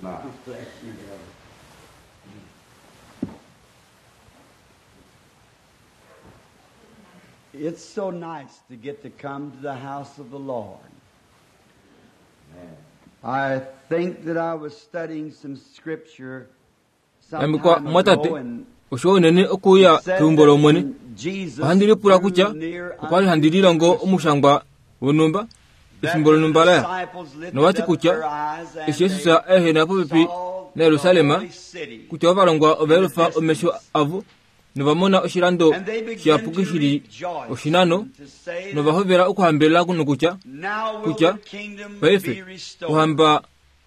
Bless you, brother. It's so nice to get to come to the house of the Lord. I think that I was studying some scripture some Yambikwa time mwatate ago and osho unene okuuya it said keumbo that lomwene when Jesus ohandi lipula kutya drew near okwali unto handi lilongo omushangwa wonhumba that efimbo the lonhumba laya disciples lifted nowati up kutya their eyes and eshi Jesus they ehena popepi saw the naYerusalem holy city. kutya ovalongwa ova yelufa omesho avo novamona oshilando And they began shiyapuki to shili rejoice oshinano and to say novahovela okuhambelela nokutya Now will kutya the kingdom paife be restored. ohamba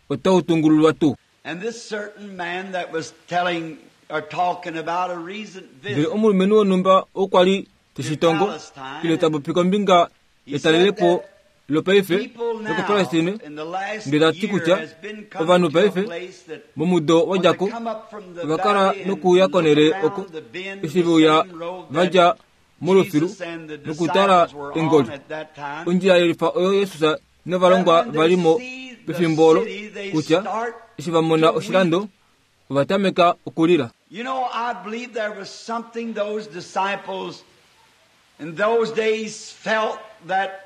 otau tungululwa tuu And this certain man that was telling or talking about a recent ndele visit, omulumenhu wonhumba okwali teshitongo ile tapopi kombinga etalelepo lopaife people now lokopalestine in the last ndele tati year kutya has been coming ovanhu to a paife place that momudo when they wadjako come up from the ova kala valley and nokuuya look konele around oko the bend, eshi the veuya same road that vadja molufilu Jesus and the nokutala disciples were engoli on at that time, ondjila yelifa oyo yesus novalongwa that when they valimo see the pefimbo olo city, they kutya start eshi vamona to oshilando weep. ova tameka okulila You know, I believe there was something those disciples in those days felt that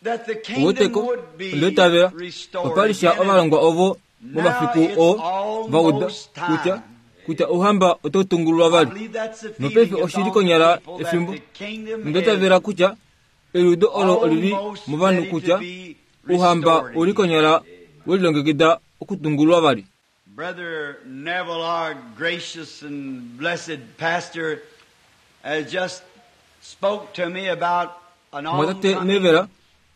that the kingdom oweteko would be ondoitavela restored. opalisha again. ovalongwa ovo Now momafiku it's oo vauda almost time. kutya kutya ouhamba otau tungululwa I vali believe that's the nopaife feeling that's oshili on konyala the people that efimbo the kingdom nondoitavela is kutya eliudo olo olili almost movanhu ready to kutya be ouhamba restored uli again. konyala welilongekida okutungululwa vali Brother Neville, our gracious and blessed pastor, has just spoke to me about an mwatate oncoming nevela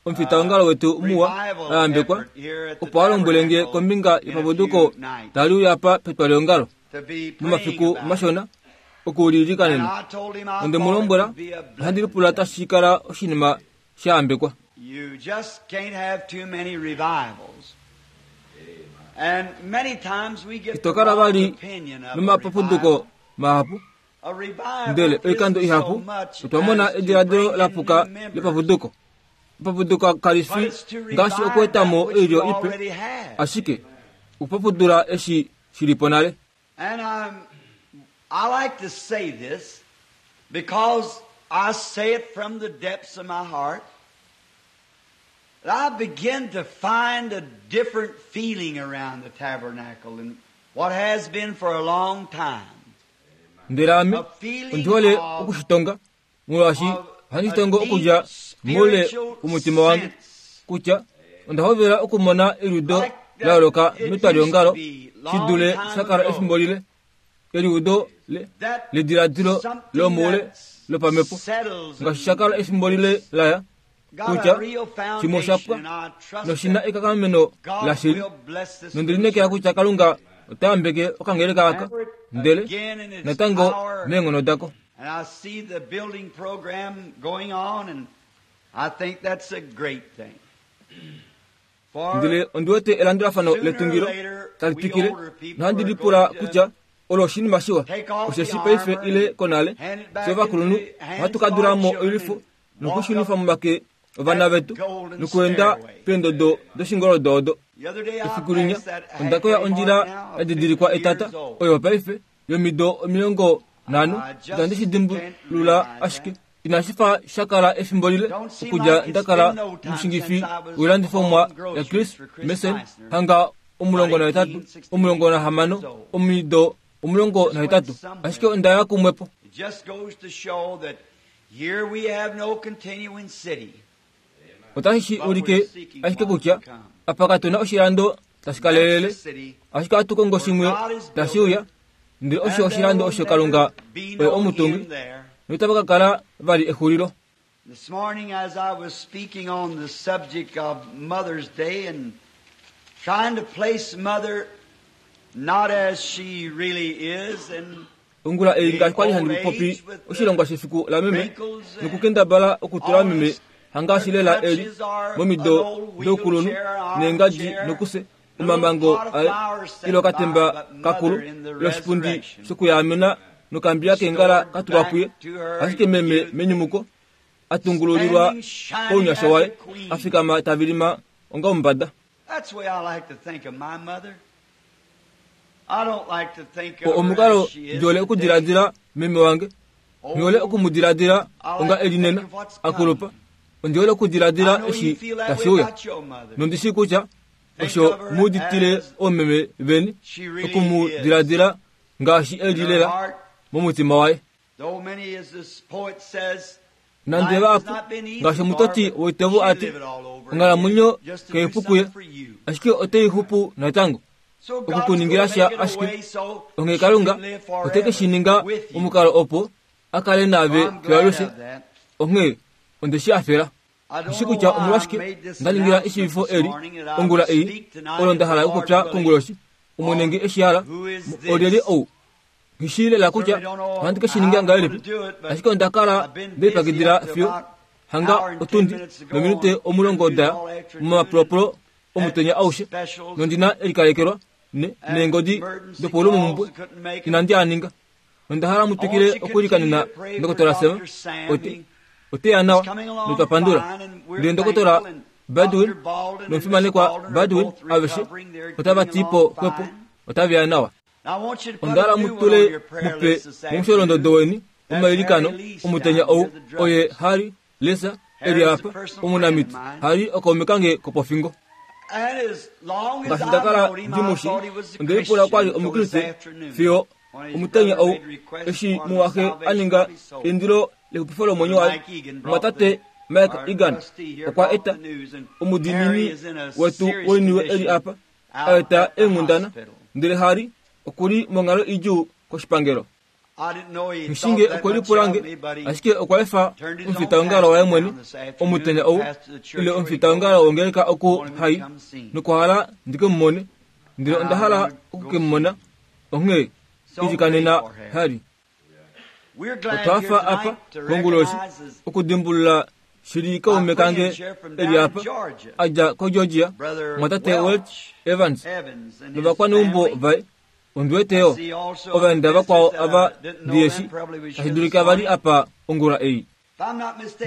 omufitaongalo wetu muwa revival ayambekwa effort here at the opo alombwele nge tabernacle kombinga in a yepapuduko few nights tali uya apa petwaleongalo to be praying momafiku about it. mashona And okuulilikanena I told him I onde mu thought it lombwela would be a ohandi blessed lipula thing. tashi kala oshinima shayambekwa You just can't have too many revivals. And many times we get ito the kala wrong vali opinion of a nomapapuduko revival. mahapu A revival ndele oikando isn't so ihapu much otwa mona as to ediladilo bring in la puka new members, lepapuduko epapuduko kali but fi it's to ngaashi revive okuetamo that which we oilyo ipe already have. ashike okupapudula eshi shilipo nale And I like to say this because I say it from the depths of my heart. That I begin to find a different feeling around the tabernacle than what has been for a long time. ndele ame A feeling ondihole of, okushitonga molwaashi of ohandi a shitongo okudja deep moule spiritual womutima wange sense kutya onda hovela okumona eliudo like la yooloka that it used to metwaliongalo be shi long dule time shakala ago. efimbo lile eliudo le That lediladilo something lomoule that lopamhepo settles ngaashi and shakala efimbo lile laya got kutya a real shimwe osha foundation, pwa and I trust noshina that ekanghameno God lashili will bless this nondi little linekela church. kutya kalunga ota yambeke okangeleka aka And ndele again in its natango power, meenghono dako and I see the building program going on, and I think that's a great thing. For ndele ondi wete elandulafano sooner or letungilo later, tali we twikile older people nohandi are lipula going to kutya olo oshinima shiwa take off the osheshi paife armor ile and konale hand it back fye ovakulunhu into the hands ohatu of ka our dula mo children oilwifo and walk nokushunifa up momake ovana that vetu golden nokuenda stairway. peendodo doshingoldo odo The other day I efiku linya passed that onda koya halfway ondjila mark now ya of didilikwa 50 etata years old. oyo paife yomido 50 I just itandi shi can't dimbulula realize ashike that. inashi fa shakala efimbo lile Don't seem okudja like it's ndakala been no time omushingifi since I was woilandifomwa hauling ya groceries Chris for Chris Mason Meissner, hanga about 18 18, 16 16 years old. omido Just went 18 somewhere. ashike ondaya kumwepo It just goes to show that here we have no continuing city, otashi shi but we're ulike seeking ashike one to kutya come. apa katuna oshilando tashi That's the kalelele city ashike ohatu kongo where shimwe God is tashi building, uya ndele osho and there oshilando will osho kalunga never be oye no omutungi end there. notapa ka kala vali exulilo This morning, as I was speaking on the subject of Mother's Day and trying to place Mother not as she really is and ongula ei the ngaashi kwali old handi popi age with the oshilongwa shefiku la meme wrinkles and nokukendabala okutula all meme this, hangaashi her lela eli crutches are an momido old doukulunhu wheelchair, an neengadji armchair, nokuse and a little omambango pot of aye flowers ile set by, okatemba but kakulu Mother in the ile oshipundi resurrection shokuyaamena nokambila keengala restored katulwa kuye back to her ashike meme youth, menyumuko atungululilwa standing shining kounyasha as a waye queen. afikama tavilima onga omumbada That's the way I like to think of my mother. Omukalo ndi hole okudiladila meme wange, nghi hole oku mu diladila onga e li nena, a kulupa. Ondi hole okudiladila eshi tashi uya. Nondi shii kutya osho mu uditile oomeme veni, oku mu diladila ngaashi e li lela momutima waye. Nande vahapu, ngaashi omutoti woitevo a ti, onghalamwenyo kai pu kuye, ashike otai xupu natango. Oku ku ningila sha ashike, onghee Kalunga ote ke shi ninga momukalo opo a kale naave fiyo alushe. Onghee onde shi hafela. Ndishi kutya omolwashike nda ningila eshiivifo eli ongula ei, olo nda hala okupopya konguloshi. Omwene nge eshi hala, olyelye ou? Nghi shii lela kutya ohandi ke shi ninga ngahelipi, ashike onda kala nde lipyakidila fiyo hanga otundi nominute 10 da ya momapulaapulo omutenya aushe, nondi na elikalekelwa ne, neengodi dopaulumomhumbwe inandi a ninga. Nonda hala mu twikile okulikanena Ndokotola Sam, ote, ote ya nawa, notwa pandula. Ndele Ndokotola Baldwin nomufimanekwa Baldwin aveshe otava ti po xwepo, otave ya nawa. Onda hala mu tule mupe momusholondodo weni womailikano omutenya ou, oye Harry Lesa e li apa, omunamiti, Harry okaume kange kopofingo. Ngaashi nda kala ndi mu shii, onde lipula kwa li Omukriste fiyo omutenya ou, eshi mumwaxe a ninga eindilo lexupifo lomwenyo waye. Omumwatate Mike Egan okwa eta omudiinini wetu woiniwe e li apa, a eta eenghundana, ndele Harry oku li monghalo idjuu koshipangelo. Nghishinge okwe lipula nge, ashike okwa efa omufitaongalo waye mwene omutenya ou, ile omufitaongalo wongeleka oku hai, nokwa hala ndi ke mu mone. Ndele onda hala oku ke mu mona, onghee ilikanena Harry. Otwa hafa apa konguloshi okudimbulula shili kaume kange e li apa, a dja koGeorgia, omumwatate Welch Evans novakwaneumbo vaye. Ondi wete yo ovaenda vakwao ava ndi eshi tashi dulika va li apa ongula ei.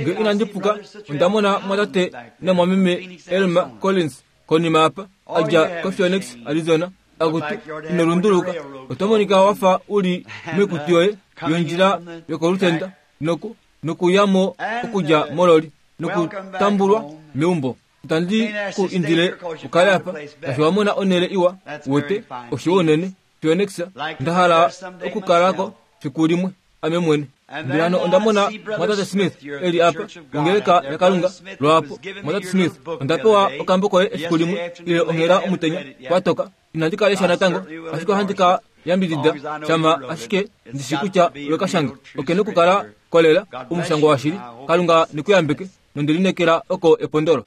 Nge inandi puka, onda mona mwatate namwameme Elmer Collins konima apa, a dja koPhoenix, Arizona. Akutu, ino lunduluka. Oto monika wa fa u li moikutu yoye yondjila yokolutenda noku, nokuya mo okudja mololi nokutambulwa meumbo. Itandi ku indile u kale apa, ngaashi wa mona onhele iwa, wete, oshiwa unene. Phoenix, nda hala okukala ko fiku limwe, ame mwene. Ndele hano onda mona Mwatate Smith e li apa, wongeleka yaKalunga, lwaapo. Mwatate Smith, onda pewa okambo koye efiku limwe, ile onghela omutenya, kwa toka. Inandi ka lesha natango, ashike ohandi ka yambidida shama ashike ndi shi kutya owe ka shanga. Oke nokukala kolela, omushangwa washili. Kalunga ne ku yambeke, nonde lineekela oko epondolo.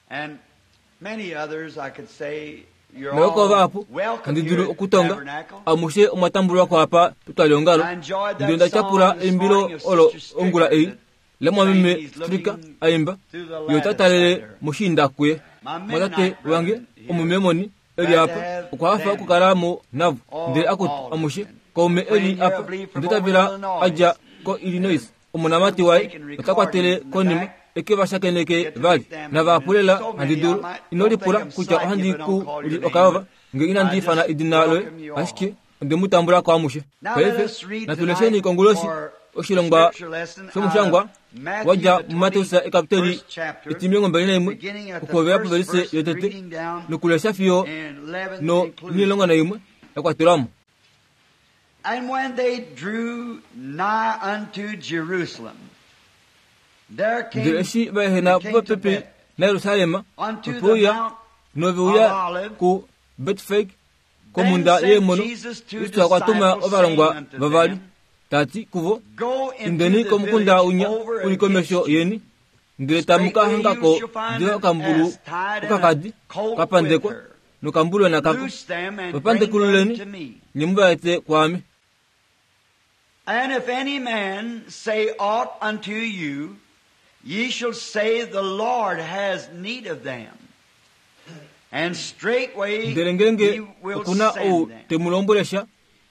Noko vahapu handi dulu okutonga, amushe omwa tambulwa ko apa petwaliongalo. Ndele onda tyapula eimbilo olo ongula ei, lamwameme Stricker a imba, ye ota talele moshiinda kuye. Mwatate wange omumemoni e li apa, okwa hafa okukala mo navo. Ndele akutu, amushe, kaume e li apa, onda itavela a dja koIllinois, omonamati waye ota kwatele konima e ke va shakeneke vali. Navahapu lela handi dulu. Ino lipula kutya ohandi ku li okayova nge inandi ifana edina loye, ashike onde mu tambula ko amushe. Paife natu lesheni konguloshi oshilongwa shomushangwa wa dja muMateus ekapiteli etimilongo okuhovela povelise yotete nokulesha fiyo no 11 ya kwatelwa mo. And when they drew nigh unto Jerusalem, there came, Ndele eshi va ehena popepi naJerusalem, ope uya nove uya kuBetfage komhunda yeemono, Kristus okwa tuma ovalongwa vavali, ta ti kuvo, Indeni komukunda winya u li komesho yeni, ndele tamu ka hanga ko diva okambulu okakadi ka pandekwa nokambulwena kako. Va pandekululeni, nye mu va ete kwaame. And if any man say aught unto you, ye shall say, The Lord has need of them. And straightway Ndele ngeenge he will oku na ou send them. te mu lombwele sha,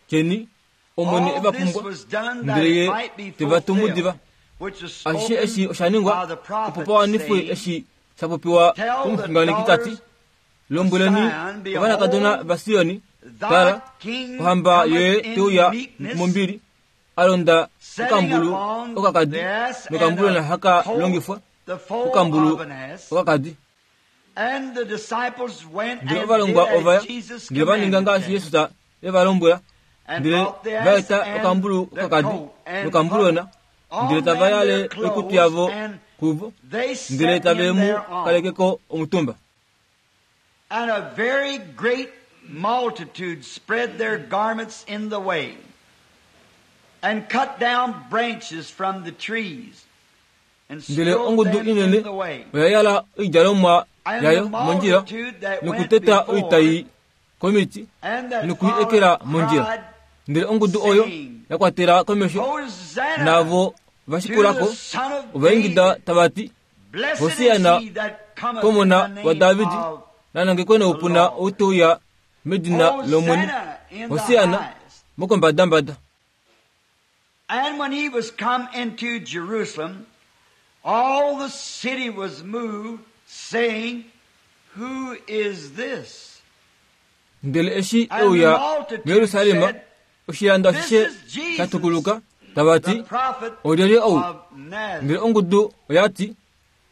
tyeni, Omwene e All va this pumbwa, was done that ndele it ye might be te va tumu fulfilled, diva. which was Ashishe eshi spoken osha ningwa by the opo prophet, pa wanifwe saying, eshi sha popiwa Tell the komuxunganeki ta ti, daughters Lombweleni Zion, ovanakadona Behold, vaSioni, Tala, ohamba yoye te uya mombili, a londa okambulu okakadi, nokambulona haka longifwa okambulu okakadi. Ndele ovalongwa ova ya, ndele va ninga ngaashi Jesus e va lombwela, ndele va eta okambulu okakadi nokambulona, ndele tava yale oikutu yavo kuvo, ndele tave mu kaleke ko omutumba. And a very great multitude spread their garments in the way, and cut down branches from the trees, and Ndele strode ongudu them in inene the way. oya yala oidjalomwa And yayo the mondjila multitude that went nokuteta before oitai komiti and that noku i ekela followed mondjila. cried, Ndele ongudu oyo ya kwatela komesho Hosanna navo to vashikulako the Son of ova ingida David. tava ti, Blessed Hosianna is he that cometh in komona the name wa Davidi, of nanangekwe noupuna ou te uya medina lOmwene, Hosanna in the Hosianna highest. mokombadambada. And when he was come into Jerusalem, all the city was moved, saying, Who is this? Ndele eshi e And the uya multitude muYerusalem, said, oshilando This ashishe is Jesus, sha tukuluka, tava the ti, prophet Olyelye ou? of Nazareth. Ndele ongudu oya ti,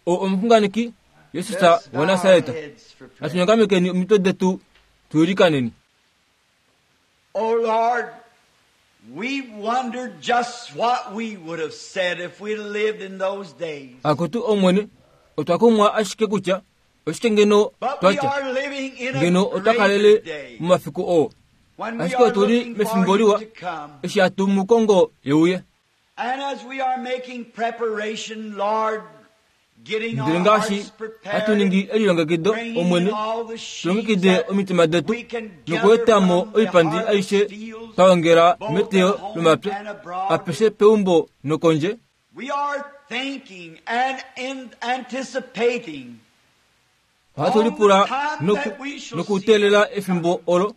Ou omuxunganeki Jesus Let's bow our waNasareta. heads for prayer. Natunyongamekeni omitwe detu tuilikaneni. Oh Lord, we wonder just what we would have said if we lived in those days. Akutu Omwene, otwa kumwa ashike kutya oshike ngeno But we twatya, are living in a ngeno otwa kalele greater day momafiku oo, when we ashike are otuli looking for mefimbo you liwa to come. eshi hatu mu kongo euye. And as we are making preparation, Lord, getting Ndele our ngaashi hearts hatu prepared, ningi elilongekido bringing Omwene, in all the sheaves tulongekide that omitima detu we can gather nokuetamo from the oipandi harvest aishe fields, twa ongela both meteyo at home lomapya and abroad. apeshe peumbo nokondje. We are thinking and in anticipating Ohatu lipula nokuteelela efimbo olo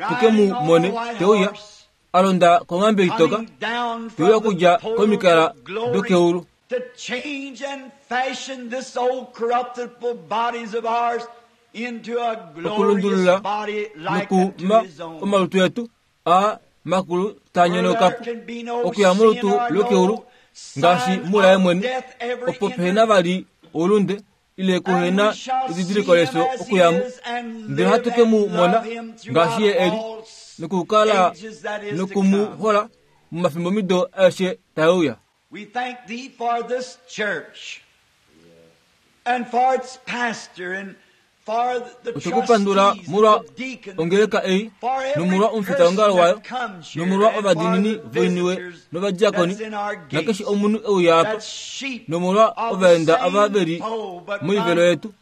tuke mu riding on mone a white te uya horse, a londa konghambe itoka coming down te uya from the okudja portals komikala of glory dokeulu to change and fashion this old corruptible bodies of ours into a glorious okulundulula body like unto nokuma his own. omalutu etu a makulu taa Where there nyonokapo can be no okuya sin molutu or lokeulu no ngaashi sign mulaye of mwene death ever opo entered. pehena vali oulunde ile And kuhena we shall see edidiliko him lefyo as he okuyamo is and ndele live hatu ke and mu mona love him throughout ngaashi ye eli all nokukala ages that is to noku mu come. hola momafimbomido aeshe tae uya. We thank thee for this church and for its pastor and for the Otwekupandula trustees, molwa the deacons, ongeleka ei for every nomolwa person omufitaongalo wayo that comes here nomolwa and for ovadiinini the voiniwe visitors novadiakoni that's in our nakeshe gates, omunhu e uya apa that's sheep nomolwa of the ovaenda ava same veli fold, but moivelo yetu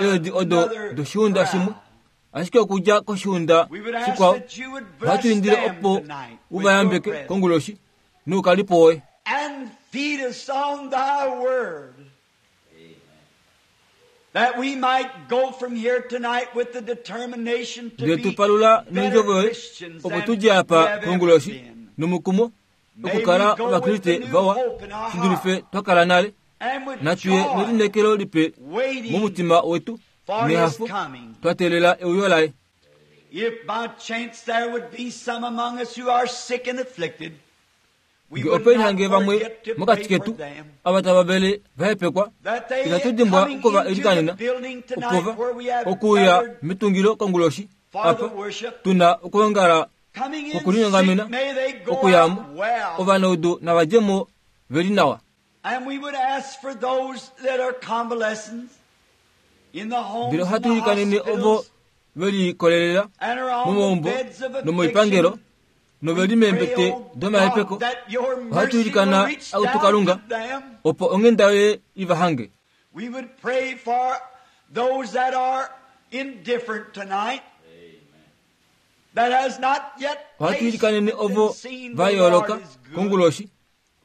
eedi odo another doshiunda shimwe crowd. ashike okudja koshiunda We would ask shikwao that you would bless ohatu indile them opo tonight u with va your yambeke presence. konguloshi noukalipo woye. And feed us on thy word, that we might go from here tonight with the determination to Ndele be tu palula better nondjovo yoye Christians opo than tu dje we apa have ever konguloshi been. nomukumo May okukala we go with ovakriste the new vawa hope in our shi dulife heart twa kala nale and with natuye joy nelineekelo lipe waiting momutima wetu for his nehafo coming. twa teelela euyo laye. If by chance there would be some among us who are sick and afflicted, we Nge would ope not hange vamwe forget to mokati pray for ketu them. ava tava vele va hepekwa That they itatu dimbwa coming okuva into the ilikanena building tonight okova where we have okuuya gathered metungilo konguloshi for the apa worship, tuna okuongala coming in okulinyongamena sick, may they go okuyamo out well. ovanaudu navadjemo veli nawa. And we would ask for those that are convalescents in the homes Ndele and ohatu the ilikanene ovo hospitals veli kolelela and are on the momaumbo beds of nomoipangelo affliction. noveli We pray, meembete oh domahepeko God, that your ohatu mercy will ilikana reach akutu down Kalunga to them. opo onghenda yoye i va hange. We would pray for those that are indifferent tonight, that has not yet Ohatu tasted ilikanene ovo and seen va the yooloka Lord is good, konguloshi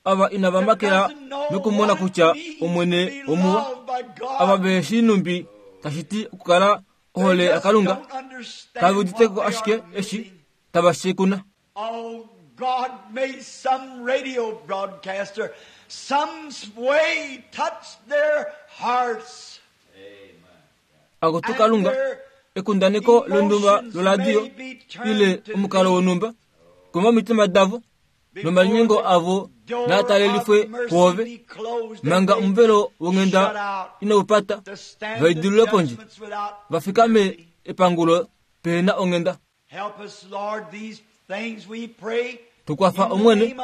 ava inava that makela doesn't know nokumona what it kutya means Omwene to be omuwa loved by God. ava vehe shii numbi tashi ti okukala They ohole just yaKalunga don't understand kave uditeko what they ashike are eshi missing. tava shekuna. Oh God, may some radio broadcaster some way touch their hearts Akutu and Kalunga their Ekundaneko lonhumba loladio ile omukalo wonhumba kuma omitima davo nomalinyengo avo naa talelifwe kwoove manga omuvelo wonghenda inaupata vaidilule pondje vafikame epangulo pehena onghenda. Tukwafa Omwene,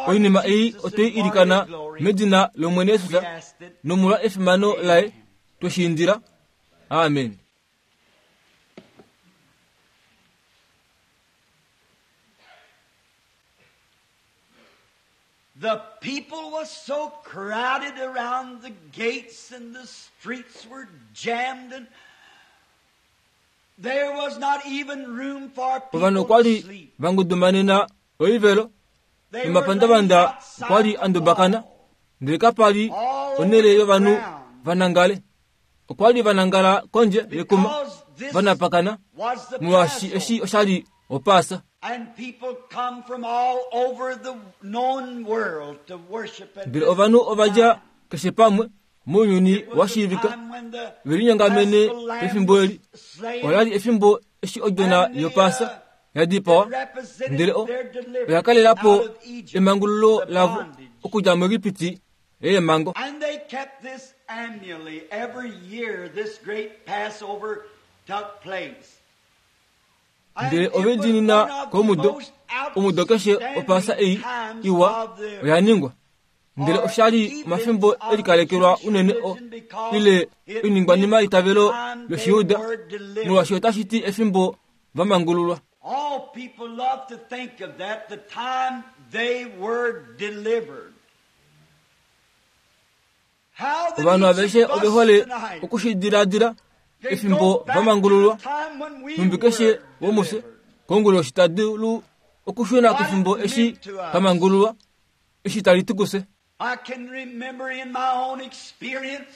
oinima ei otwe i ilikana medina lOmwene Jesus nomolwa efimano laye twe shi indila. Amen. The people was so crowded around the gates and the streets were jammed and there was not even room for people Ovanhu okwa to li sleep. va ngudumanena oivelo They were nomapandavanda laying outside okwa li the a ndubakana wall. ndele kapa li onhele yovanhu va nangale. Okwa li va nangala kondje yekuma Because this va napakana was the molwaashi eshi Passover. osha li Opaasa. And people come from all over the known world to worship at Ndele this ovanhu ova dja time. keshe pamwe mounyuni It wa was the shiivika time when the ve linyongamene Paschal lamb pefimbo eli. was slain Ola li efimbo eshi odjona and the, yOpaasa ya dipawa, it represented ndele o their oya deliverance kalela po out of Egypt, emangululo the lavo bondage. okudja muEgipiti yeemango. And they kept this annually. Every year this great Passover took place. And Ndele it was ove diinina one of the komudo, most omudo keshe Opaasa ei outstanding times iwa of the oya ningwa. Ndele or osha li events omafimbo of e likalekelwa the unene Jewish o religion because ile it oiningwanima meant the yeitavelo time they lOshiyuda, were delivered. molwaashi otashi ti efimbo va mangululwa. All people love to think of that, the time they were delivered. How that Ovanhu each aveshe of us ove hole tonight oku shi diladila can efimbo go back va to mangululwa the time when we nhumbi keshe were womufye delivered. konguloshi ta dulu okushuna What kefimbo it eshi meant to us. twa mangululwa eshi tali ti kufye. I can remember in my own experience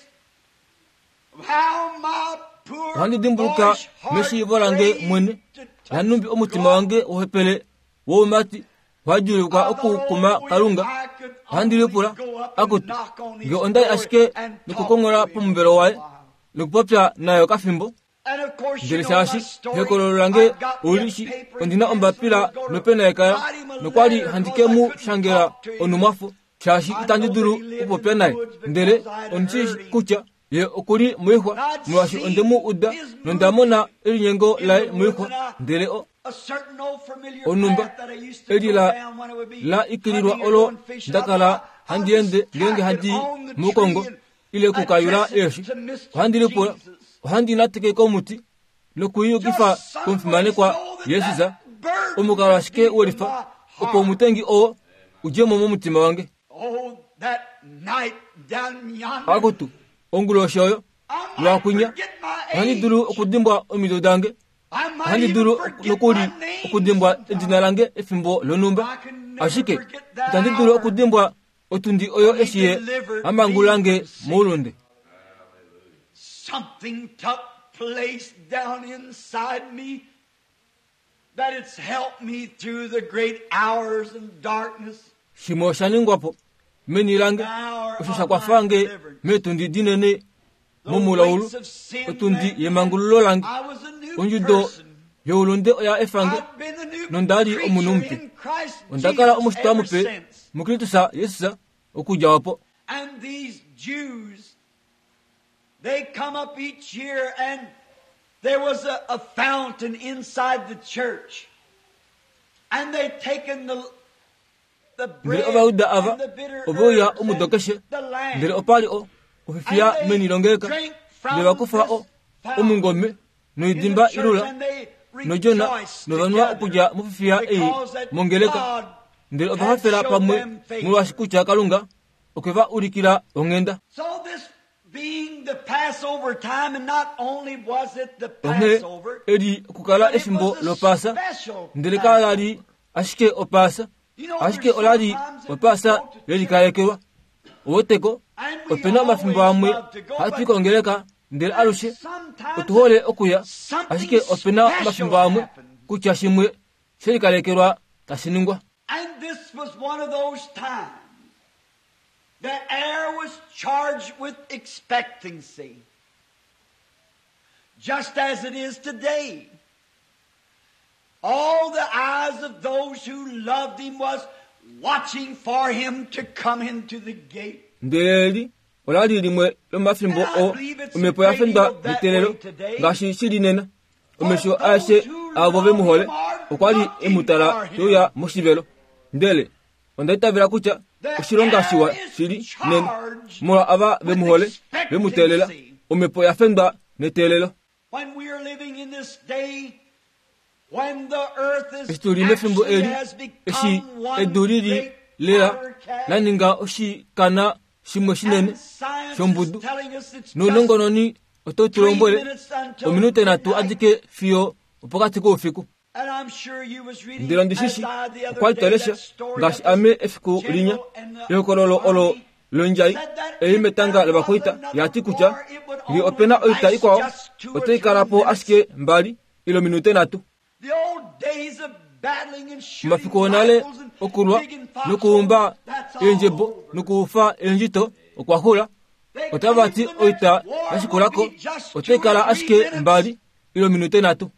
how my poor Ohandi dimbuluka boyish heart meshiivo lange craved mwene to touch nanhumbi omutima God. wange wohepele woumati wadjuulukwa I thought, okukuma oh, if Kalunga. I could Ohandi only lipula go up and akuti knock on his nge onda li door ashike and talk nokukongola to him pomuvelo for a waye while. nokupopya naye okafimbo. And of course, you Ndele know my shaashi story. ehokololo lange I've got me a oli shi paper and ondina pencil ombapila and go to nopena yekala write him a nokwali letter handi because ke I mu couldn't shangela talk to him. onumwafo shaashi I itandi know dulu that he lived okupopya in the naye. woods Ndele because I had ondi heard shi him. kutya ye okuli moixwa And I'd molwaashi onde mu seen uda his nonda mona movement elinyengo in laye the woods moixwa and I ndele o a certain old familiar onhumba path that I used to eli go la down when I would be la ikililwa hunting or olo going fishing. I nda kala thought I'll handi just ende ngeenge tack it handi on the mukongo tree and ile kukayula address it eeshi. to Mr. Ohandi lipula Jesus. ohandi nateke komuti nokuyukifa Just some way komufimanekwa so that Jesus that burden omukalo would ashike be from welifa my opo heart. omutengi oo udje mo momutima wange. Oh, that night down yonder, Akutu onguloshi oyo I might lwakunya forget my ohandi dulu age. okudimbwa omido dange I might ohandi even dulu forget nokuli my name okudimbwa edina sometime. lange efimbo lonhumba I can never ashike forget that itandi dulu hour okudimbwa otundi oyo when he eshi ye delivered me amangulange from sin. moulunde. Something took place down inside me that it's helped me through the great hours and darkness, Shimwe osha ningwa po meni lange the hour osho sha of my kwafa nge deliverance. meetundi dinene The momulaulu weights of sin otundi left me. yemangululo lange. I was a new Ondjudo person. youlunde oya efa nge I've been a new nonda li omunhu creature mupe. in Christ Onda kala Jesus omushitwa ever mupe since. muKristus Jesus okudja opo. And these Jews, they come up each year and there was a fountain inside the church. And they taken the Ndele bread Ovayuda ava and the bitter ove uya herbs omudo and keshe the ndele lamb. opa li o ofifiya And meni they longeleka drank ndele from vakufa this o fountain omungome in the noidimba church ilula and they nodjona rejoiced novanwa together okudja mofifiya ei because that mongeleka God ndele ova had hafela showed pamwe them favor. molwaashi kutya Kalunga okwe va ulikila onghenda. So this being the Passover time, and not only was it the Onghee Passover, eli okukala but it efimbo was a lopaasa special ndele kala li Passover. ashike opaasa You know, ashike there's ola li sometimes that we opaasa go to church lelikalekelwa. Oweteko and we opena omafimbo always amwe love to go, hatu but kongeleka ndele there's alushe sometimes otuhole okuya something ashike opena special omafimbo amwe happens. kutya shimwe shelikalekelwa tashi ningwa. And this was one of those times. The air was charged with expectancy. Just as it is today. All the eyes of those who loved him was watching for him to come into the gate. Ndele eli ola li limwe lomafimbo oo omhepo ya fendwa neteelelo ngaashi shi li nena. Omesho aeshe aavo ve mu hole okwa li e mu tala te uya moshivelo. Ndele onda itavela kutya oshilonga shiwa shili nena molwa ava ve mu hole ve mu teelela omhepo ya fendwa neteelelo. Eshi tu li mefimbo eli, eshi edu li li lela la ninga oshikana shimwe shinene shombudu, nounongononi otau tu lombwele ominute nhatu adike fiyo opokati koufiku. Ndele ondi shi shi, okwa li twa lesha, ngaashi ame efiku linya, ehokololo olo londjai ei metanga lovakwaita ya ti kutya ngee ope na oita ikwao, otai kala po ashike mbali ile ominute nhatu. Omafiku onale okulwa nokuumba eendjebo nokuufa eendjito okwa xula. Otava ti oita ya shikula ko otai kala ashike mbali ile ominute nhatu.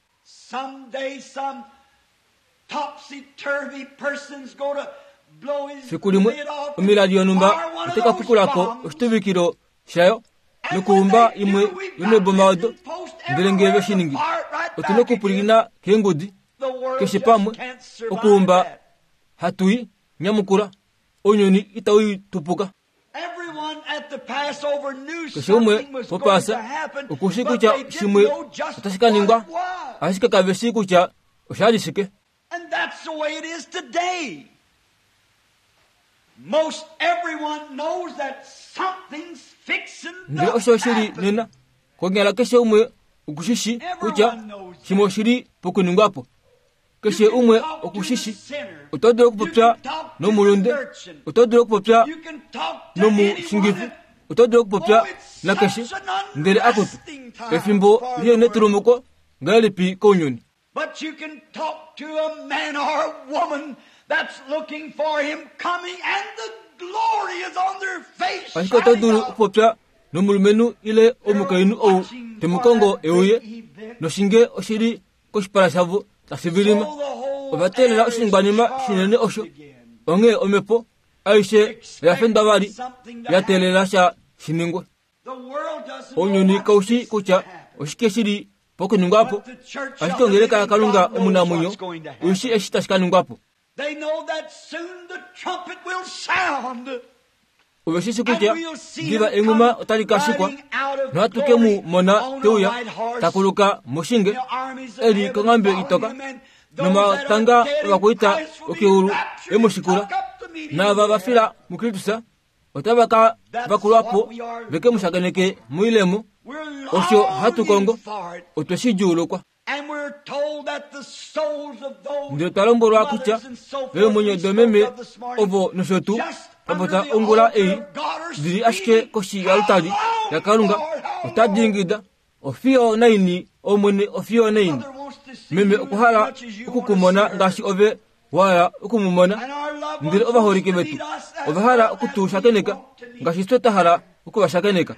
Fiku limwe omilali yonhumba otai ka pukula ko oshituvikilo shayo nokuumba imwe yomeeboma odo. Ndele ngee ve shi ningi, otu na okupwilikina keengudi keshe pamwe okuumba hatu i nyamukula. Ounyuni itau i tupuka. Keshe umwe poPaasa oku shii kutya shimwe otashi ka ningwa, ashike kave shii kutya osha li shike. Ndele osho shi li nena, konyala keshe umwe oku shi shii kutya shimwe oshi li pokuningwa po. Keshe umwe oku shi shi. Oto dulu okupopya nomulunde, oto dulu okupopya nomushingifi, oto dulu okupopya nakeshe, ndele akutu, efimbo lienetulumuko ngahelipi kounyuni. But you can talk to a man or a woman that's looking for him coming and the glory is on their face. Ashike oto dulu okupopya nomulumenhu ile omukainhu ou te mu kongo e uye, noshinge oshi li koshipala shavo tashi vilima. Ova teelela oshiningwanima shinene osho. Onghee omhepo aishe oya fendwa vali ya teelela sha shi ningwe. Ounyuni kau shi kutya oshike shi li pokuningwa po, ashike ongeleka yaKalunga omunamwenyo oi shii eshi tashi ka ningwa po. Ove shi shi kutya diva enghuma otali ka shikwa, nohatu ke mu mona te uya ta kuluka moshinge e li konghambe itoka, nomatanga ovakwaita okeulu e mu shikula, naava va fila muKristus otava ka vakulwa po ve ke mu shakeneke moilemo. Osho hatu kongo, otwe shi djuulukwa. Ndele otwa lombwelwa kutya eemwenyo domeme ovo nosho tuu twa popya ongula ei di li ashike koshi yalutali yaKalunga otadi ingida Ofiyo naini, Omwene, ofiyo naini. Meme okwa hala oku ku mona ngaashi ove wa hala oku mu mona. Ndele ovaholike vetu ova hala oku tu shakeneka ngaashi fye twa hala oku va shakeneka.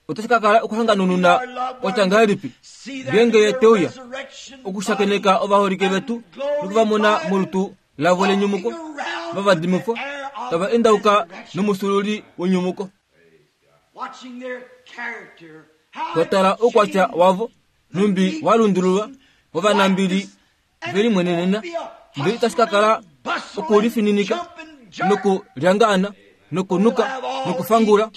Otashi ka kala okuhanganununa kwa tya ngahelipi ngeenge ye te uya okushakeneka ovaholike vetu noku va mona molutu lavo lenyumuko, va vadimifwa, tava endauka nomufyuululi wenyumuko. Twa tala oukwatya wavo, nhumbi wa lundululwa vovanambili ve limwenenena, ndele itashi ka kala okulifininika nokulyangaana nokunuka nokufangula,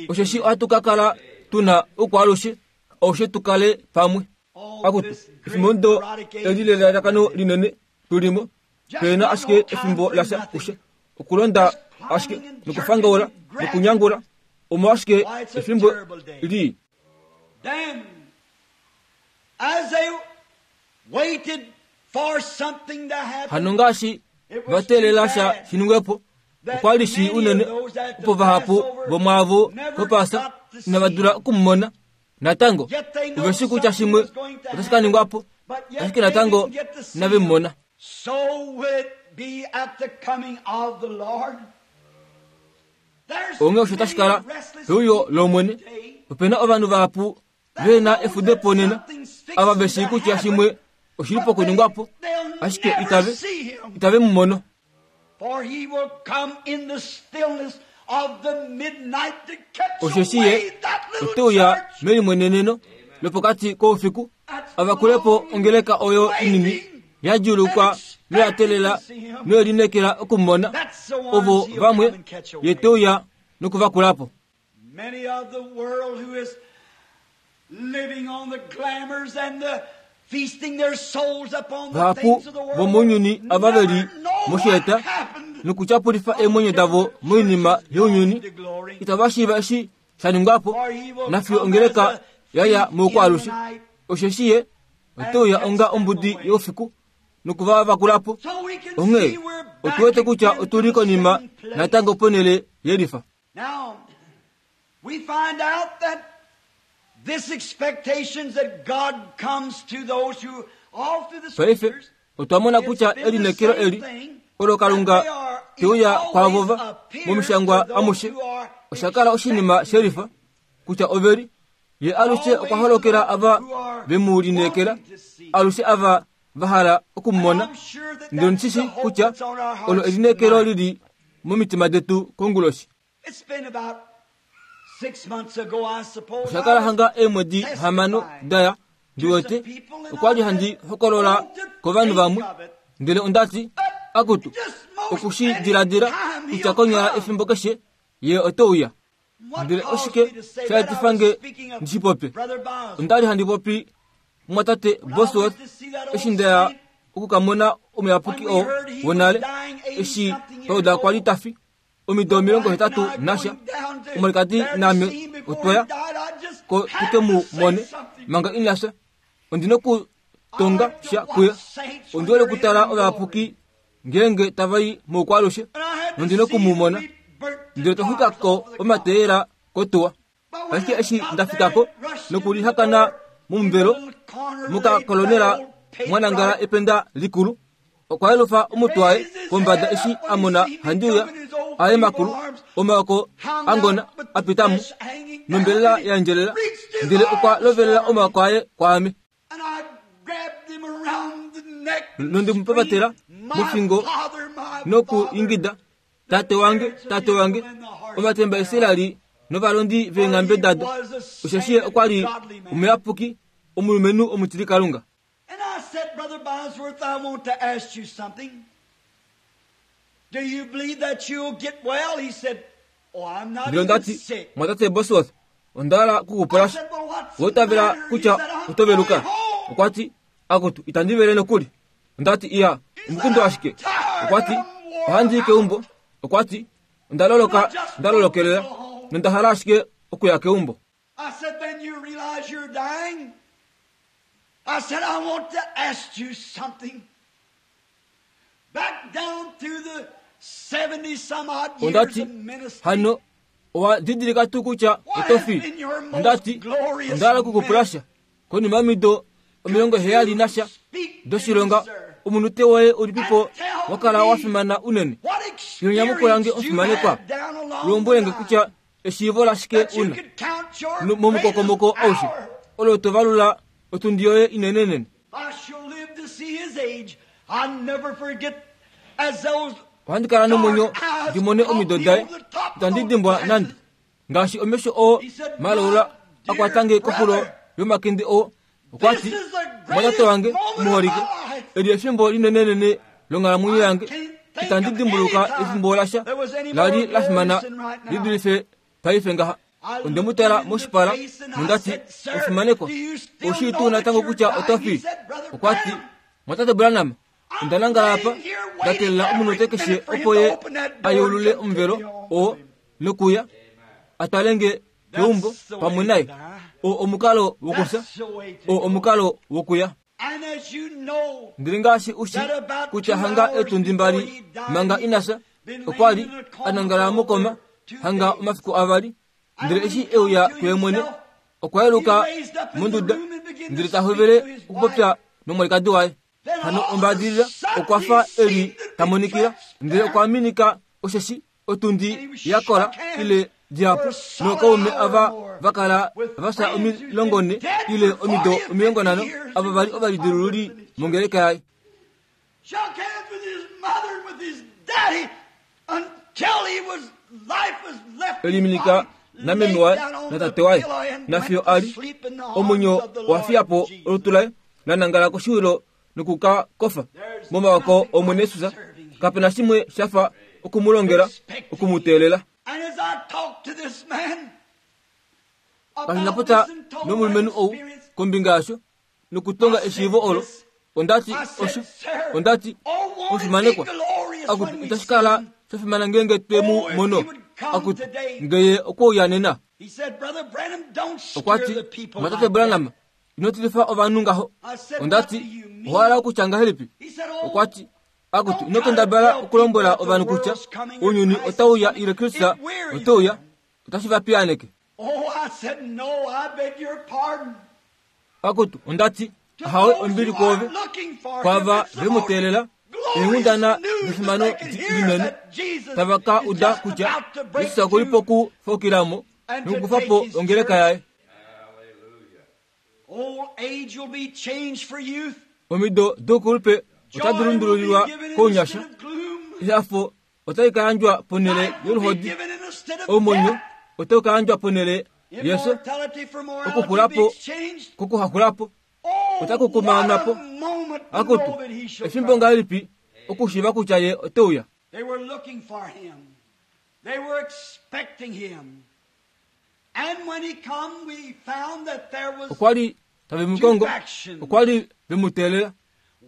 osheshi ohatu ka kala tu na oukwaalushe aushe tu kale pamwe. Akutu, efimbo ndo eli lelalakano linene tu li mo, pe na ashike efimbo lasha kushe, okulonda ashike nokufangaula nokunyangula, omo ashike efimbo lii. Then, as they waited for something to happen, Hano ngaashi va teelela sha shi ningwe po, okwa li shii unene opo vahapu vomwaavo vOpaasa inava dula oku mu mona. Natango, ove shii kutya shimwe otashi ka ningwa po, ashike natango inave mu mona. Onghee osho tashi kala peuyo lOmwene. Ope na ovanhu vahapu ve na efudepo nena, ava ve shii kutya shimwe oshi li pokuningwa po, ashike itave, itave mu mono. Osheshi ye ote uya melimweneneno lopokati koufiku a vakule po ongeleka oyo inini ya djuulukwa noya teelela noye lineekela oku mu mona. Ovo vamwe ye te uya nokuvakula po. Many of the world who is living on the glamours and the feasting their souls upon the Vahapu things of the world vomounyuni ava ve li mosheeta nokutyapulifa eemwenyo davo moinima younyuni itava shiiva eshi sha ningwa po nafiyo ongeleka ya ya moukwaalushe. Osheshi ye ote uya onga ombudi youfiku noku va vakula po. Onghee otu wete kutya otu li konima natango ponhele yelifa. Now, we find out that this expectations that God comes to those who all through the Paife scriptures otwa mona kutya elineekelo eli olo Kalunga te uya kwaavo va momishangwa amushe osha kala oshinima shelifa kutya ove li ye alushe okwa holokela ava ve mu lineekela, alushe ava va hala oku mu mona. Ndele ondi shi shii kutya olo elineekelo li li momitima detu konguloshi. Osha kala hanga eemwedi hamano da ya, ndi wete, okwa li handi hokolola kovanhu vamwe, ndele onda ti, Akutu, oku shi diladila kutya konyala efimbo keshe ye ote uya. Ndele oshike sha etifa nge ndi shi popye? Onda li handi popi mumwatate Bosworth eshi nda ya oku ka mona omuyapuki oo wonale, eshi twa uda kwa li ta fi, omido 80 nasha. Omwalikadi naame otwa ya ko tu ke mu mone manga ina fya. Ondi nokutonga sha kuye. Ondi hole okutala ovayapuki ngeenge tava i moukwaalushe, nondi noku mu mona. Ndele twa xwika ko omateyela kotuwa. Ashike eshi nda fika ko nokulihakana momuvelo, mokakolonela mwa nangala ependa likulu. Okwa yelufa omutwe waye kombada eshi a mona handi uya, aye makulu, omaoko a ngona a pita mo, nombelela ya endjelela, ndele okwa lovelela omaoko aye kwaame. Nonde mu papatela mofingo nokuingida, Tate wange, tate wange, omatemba Israel novalondi veenghambe dado, osheshi ye okwa li omuyapuki, omulumenhu omutilikalunga. And I said, Brother Bosworth, I want to ask you something. Do you believe that you'll get well? He said, Oh, I'm not Ndele onda even ti, sick. Mwatate Bosworth, onda hala ku ku pula I sha. said, Well, what's Owa the itavela matter? He kutya said, I'm oto veluka? going home. Okwa ti, Akutu, itandi vele nokuli. Onda ti, Iya, He said, omukundu I'm ashike. tired Okwa ti, and I'm wore Ohandi i out. keumbo. Okwa ti, Onda And I loloka, just nda want to lolokelela, go home. nonda hala ashike okuya keumbo. I said, Then you realize you're dying? I said, I want to ask you something. Back down through the 70 some odd Onda years ti, of ministry, Hano, owa didilika tuu kutya what oto has fi? been your Onda most ti, glorious Onda hala oku ku pula minute? sha. Konima yomido Could 70 you nasha speak to me, doshilonga, sir, omunute woye ulipipo and tell wa kala wa me fimana unene? what Ilo nyamukula nge experience you omufimanekwa, had down along the lombwele nge line kutya eshiivo lashike that you una could count your greatest momukokomoko aushe hour? olo to valula otundi yoye inenenene. I shall live to see his age. I never forget as those Ohandi kala nomwenyo dark eyes ndi mone caught omido me daye, over the top of itandi those dimbwa nande glasses. ngaashi omesho oo He said, malaula My a kwata dear nge koxulo brother, yomakende oo. Okwa this ti, is the Mwatate greatest wange moment of omuholike, my life. eli efimbo linenenene longhalamwenyo I yange. can't think Itandi of any dimbuluka time efimbo lasha there was any la more li la fimana glorious than right li now. dulife paife ngaha. I Onde mu looked tala him in the moshipala face and I nonda ti, said, Sir, Omufimanekwa, do you still ou shii tuu know that natango you're kutya oto dying? He fi? said, Brother Okwa ti, Branham, Mwatate Branham, onda I'm nangala apa, laying here nda waiting teelela omunute every keshe minute for him opo to ye open that a door and yeulule come take omuvelo me home oo with him. nokuya a twale nge keumbo That's the pamwe way to naye. die. Oo omukalo wokufya, That's the way to oo go. omukalo wokuya. And as you know Ndele ngaashi u shi that about kutya 2 hanga hours etundi before mbali he died, manga he ina had fya, been okwa laying li in a a coma nangala for mokoma over 2 hanga days. omafiku avali. And Ndele when eshi he e uya come to kuye mwene, himself, okwa he yeluka raised up in the monduda, room and began to ndele ta speak hovele to his okupopya wife. nomwalikadi waye. Then Hano all of a ombaadilila sudden okwa he fa eli seemed to ta be monikila, ndele okwa transparent. minika osheshi Otundi yakola ile dihapu nookaume ava va kala va fya 40 ile omido 50 ava vali ovalidilululi mongeleka yaye. Eliminika nameme waye natate waye nafiyo a li omwenyo wa fiya po olutu laye la nangala koshiwilo noku ka kofa momawako Omwene Jesus. Kape na shimwe sha fa oku mu longela, oku mu teelela. Kashi na popya nomulumenhu ou kombinga yasho nokutonga eshiivo olo, onda ti osho, onda ti omufimanekwa, akutu itashi kala sha fimana ngeenge twe mu mono, akutu ngeye okwe uya nena. Okwa ti, Mwatate Branham, ino tilifa ovanhu ngaho. Onda ti, Owa hala okutya ngahelipi? Okwa ti, Akutu, ino kendabala okulombwela ovanhu kutya ounyuni otau uya ile Kristus ote uya, otashi va piyaaneke. Akutu, onda ti, Ahawe, ombili kwoove, kwaava ve mu teelela, eenghundana defimano linene, tava ka uda kutya Jesus oku li pokufaukila mo nokukufa po ongeleka yaye. Omido doukulupe otadi lundululilwa kounyasha, ehafo otali ka yandjwa ponhele yoluhodi, omwenyo otau ka yandjwa ponhele yefyo, okuxula po kokuhaxula po otaku kumaanwa po. Akutu, efimbo ngahelipi okushiiva kutya ye ote uya! Okwa li tave mu kongo, okwa li ve mu teelela.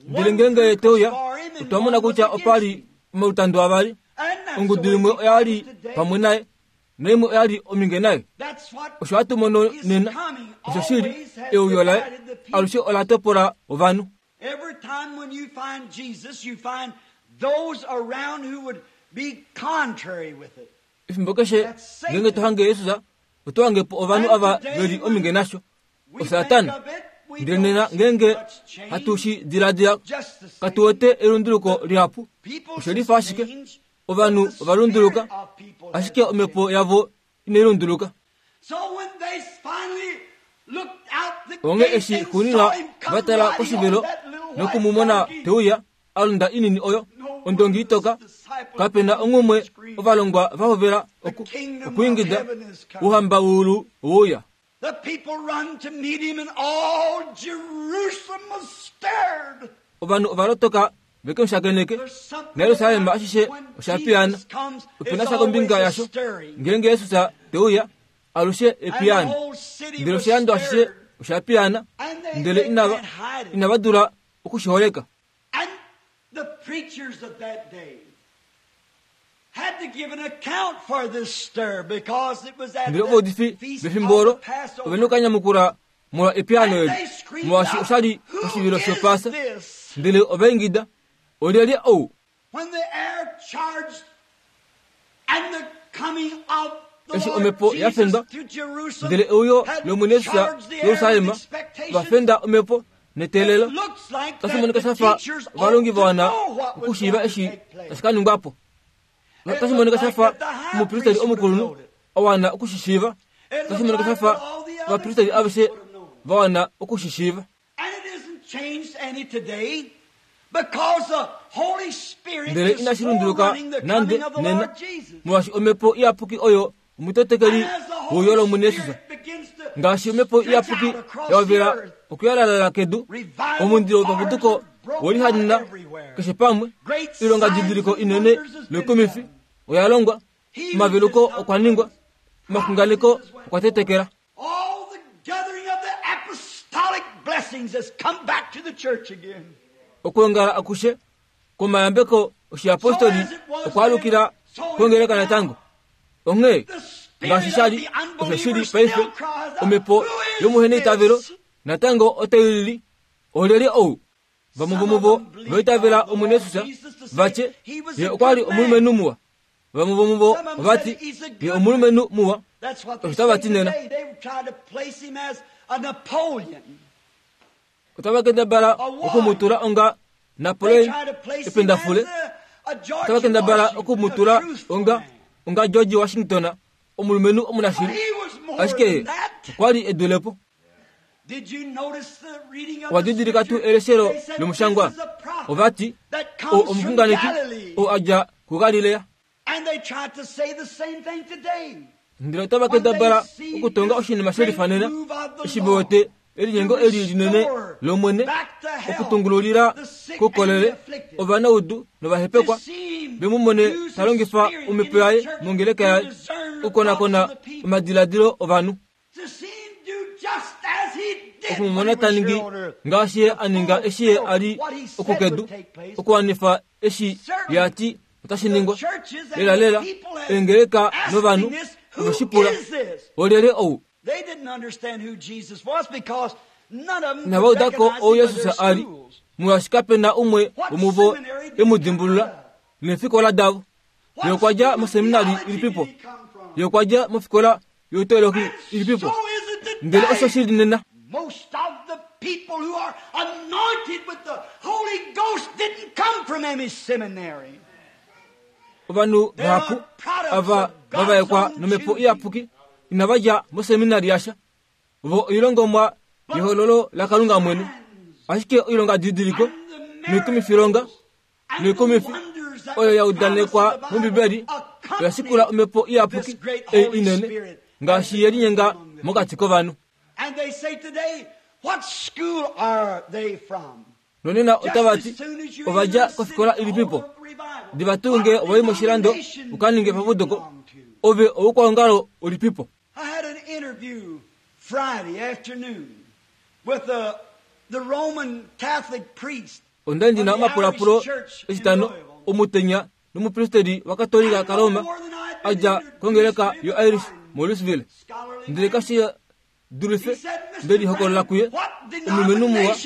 Ndele ngeenge ye te uya, otwa mona kutya opa li omalutando avali. Ongudu imwe oya li pamwe naye, naimwe oya li ominge naye. Osho hatu mono nena, osho shili, euyo laye alushe ola topola ovanhu. Every time when you find Jesus, you find those around who would be contrary with it. Efimbo keshe ngeenge to hange Jesus, oto hange po ovanhu ava ve li ominge nasho, oSatana. Ndele nena ngeenge hatu shi diladila, katu wete elunduluko lihapu. Oshe lifa ashike ovanhu ova lunduluka, ashike omhepo yavo inai lunduluka. Onghee eshi xuunina va tala koshivelo noku mu mona te uya, a londa inini oyo, ondongi itoka, kape na onghumwe ovalongwa va hovela oku, okwiingida, Ouhamba weulu owe uya. Ovanhu ova lotoka ve ke mu shakeneke, naJerusalem ashishe osha piyaana. Ope na sha kombinga yasho, ngeenge Jesus te uya, alushe epiyaano. Ndele oshilando ashishe osha piyaana, ndele inava, inava dula oku shi holeka. And the preachers of that day had to give an account for this stir because it was at Ndele ovaudifi the feast vefimbo of olo the Passover. ove na okanyamukula molwa epiyaano And eli, they screamed molwaashi out, osha li Who oshivilo is shOpaasa. this? Ndele ova ingida, Olyelye ou? When the air charged and the coming of the Eshi Lord omhepo ya Jesus fendwa, to Jerusalem Ndele euyo had lOmwene Jesus charged the air with Jerusalem expectation, va fenda omhepo neteelelo. It looks like Tashi that monika the sha fa teachers ought ovalongi to va wana know what was okushiiva going to eshi take place. tashi ka ningwa po. It Tashi monika looked sha like fa that the high omupristeri priest would have omukulunhu known it. a wana oku shi shiiva. It Tashi looked monika sha like fa that all the other ovapristeri priests aveshe would have known it. va wana oku shi shiiva. And it isn't changed any today because the Holy Spirit Ndele is inashi lunduluka forerunning the nande coming of the nena, Lord Jesus. molwaashi omhepo iyapuki oyo omutetekeli And as the wouyo Holy lOmwene Jesus. Spirit begins to Ngaashi omhepo stretch iyapuki out across ya the hovela earth, okuyalalala kedu, revival omundilo fires wopaputuko have broken welihanena out everywhere. keshe pamwe, Great oilonga signs didiliko and inene wonders has been noikumifi done. oya longwa, Healings omaveluko has come okwa ningwa, place. omaxunganeko okwa tetekela. All the gathering of the apostolic blessings has come back to the church again. Okwoongala akushe kwomayambeko oshiyapostoli okwa alukila kongeleka natango. Onghee, The spirit ngaashi of sha li the osho shi li unbeliever paife, still cries out, omhepo Who is yomuheneitavelo this? natango otai lili, Olyelye ou? Vamwe Some of vomuvo them va believed itavela on the Omwene Lord Jesus, Jesus to va say tye, he was Ye a okwa li good man. omulumenhu muwa. Vamwe vomuvo Some of them ova said ti, he's a Ye good man. omulumenhu muwa. That's what they Osho tava say ti nena. today. They try to place him as a Napoleon. Otava kendabala A oku mu tula warrior. onga They Napoleon try to place him ependafule. as a George Otava kendabala Washington, oku mu a tula truthful onga man. onga George Washington, omulumenhu omunashili, ashike ye okwa li e dule po. Owa didilika tuu eleshelo lomushangwa? Ova ti, Ou omuxunganeki ou a dja kuGalilea. Ndele otava kendabala okutonga oshinima she lifanena, eshi ve wete elinyengo eli linene lOmwene okutungululila koukolele ovanaudu novahepekwa, ve mu mone ta longifa omhepo yaye mongeleka yaye okukonakona omadiladilo ovanhu. Oku mu mona ta ningi ngaashi ye a ninga eshi ye a li okukedu, okuwanifa eshi ye a ti otashi ningwa. Lelalela, eengeleka novanhu ove shi pula, Olyelye ou? Inava uda ko ou Jesus a li, molwaashi kape na umwe womuvo e mu dimbulula neefikola davo. Ye okwa dja moseminari ilipipo? Ye okwa dja mofikola youteologi ilipipo? Ndele osho shi li nena. Most of the people who are anointed with the Holy Ghost didn't come from any seminary. Ovanhu vahapu ava va vaekwa nomhepo iyapuki inava dja moseminari yasha. Vo oilongomwa yehololo laKalunga mwene. Ashike oilongadidiliko noikumifilonga noikumifi oyo ya udanekwa mOmbibeli oya shikula omhepo iyapuki ei inene ngaashi ye linyenga mokati kovanhu. Nonena otava ti, Ova dja kofikola ilipipo? Diva tuu nge wa i moshilando u ka ninge epapuduko, ove oukwaongalo ulipipo? I had an interview Friday afternoon with the Roman Catholic priest. Onda li ndi na omapulapulo Etitano omutenya nomupristeli waKatolika kaRoma a dja kongeleka yoIrish moLouisville. Ndele kashi dulife nde lihokolola kuye, omulumenhu muwa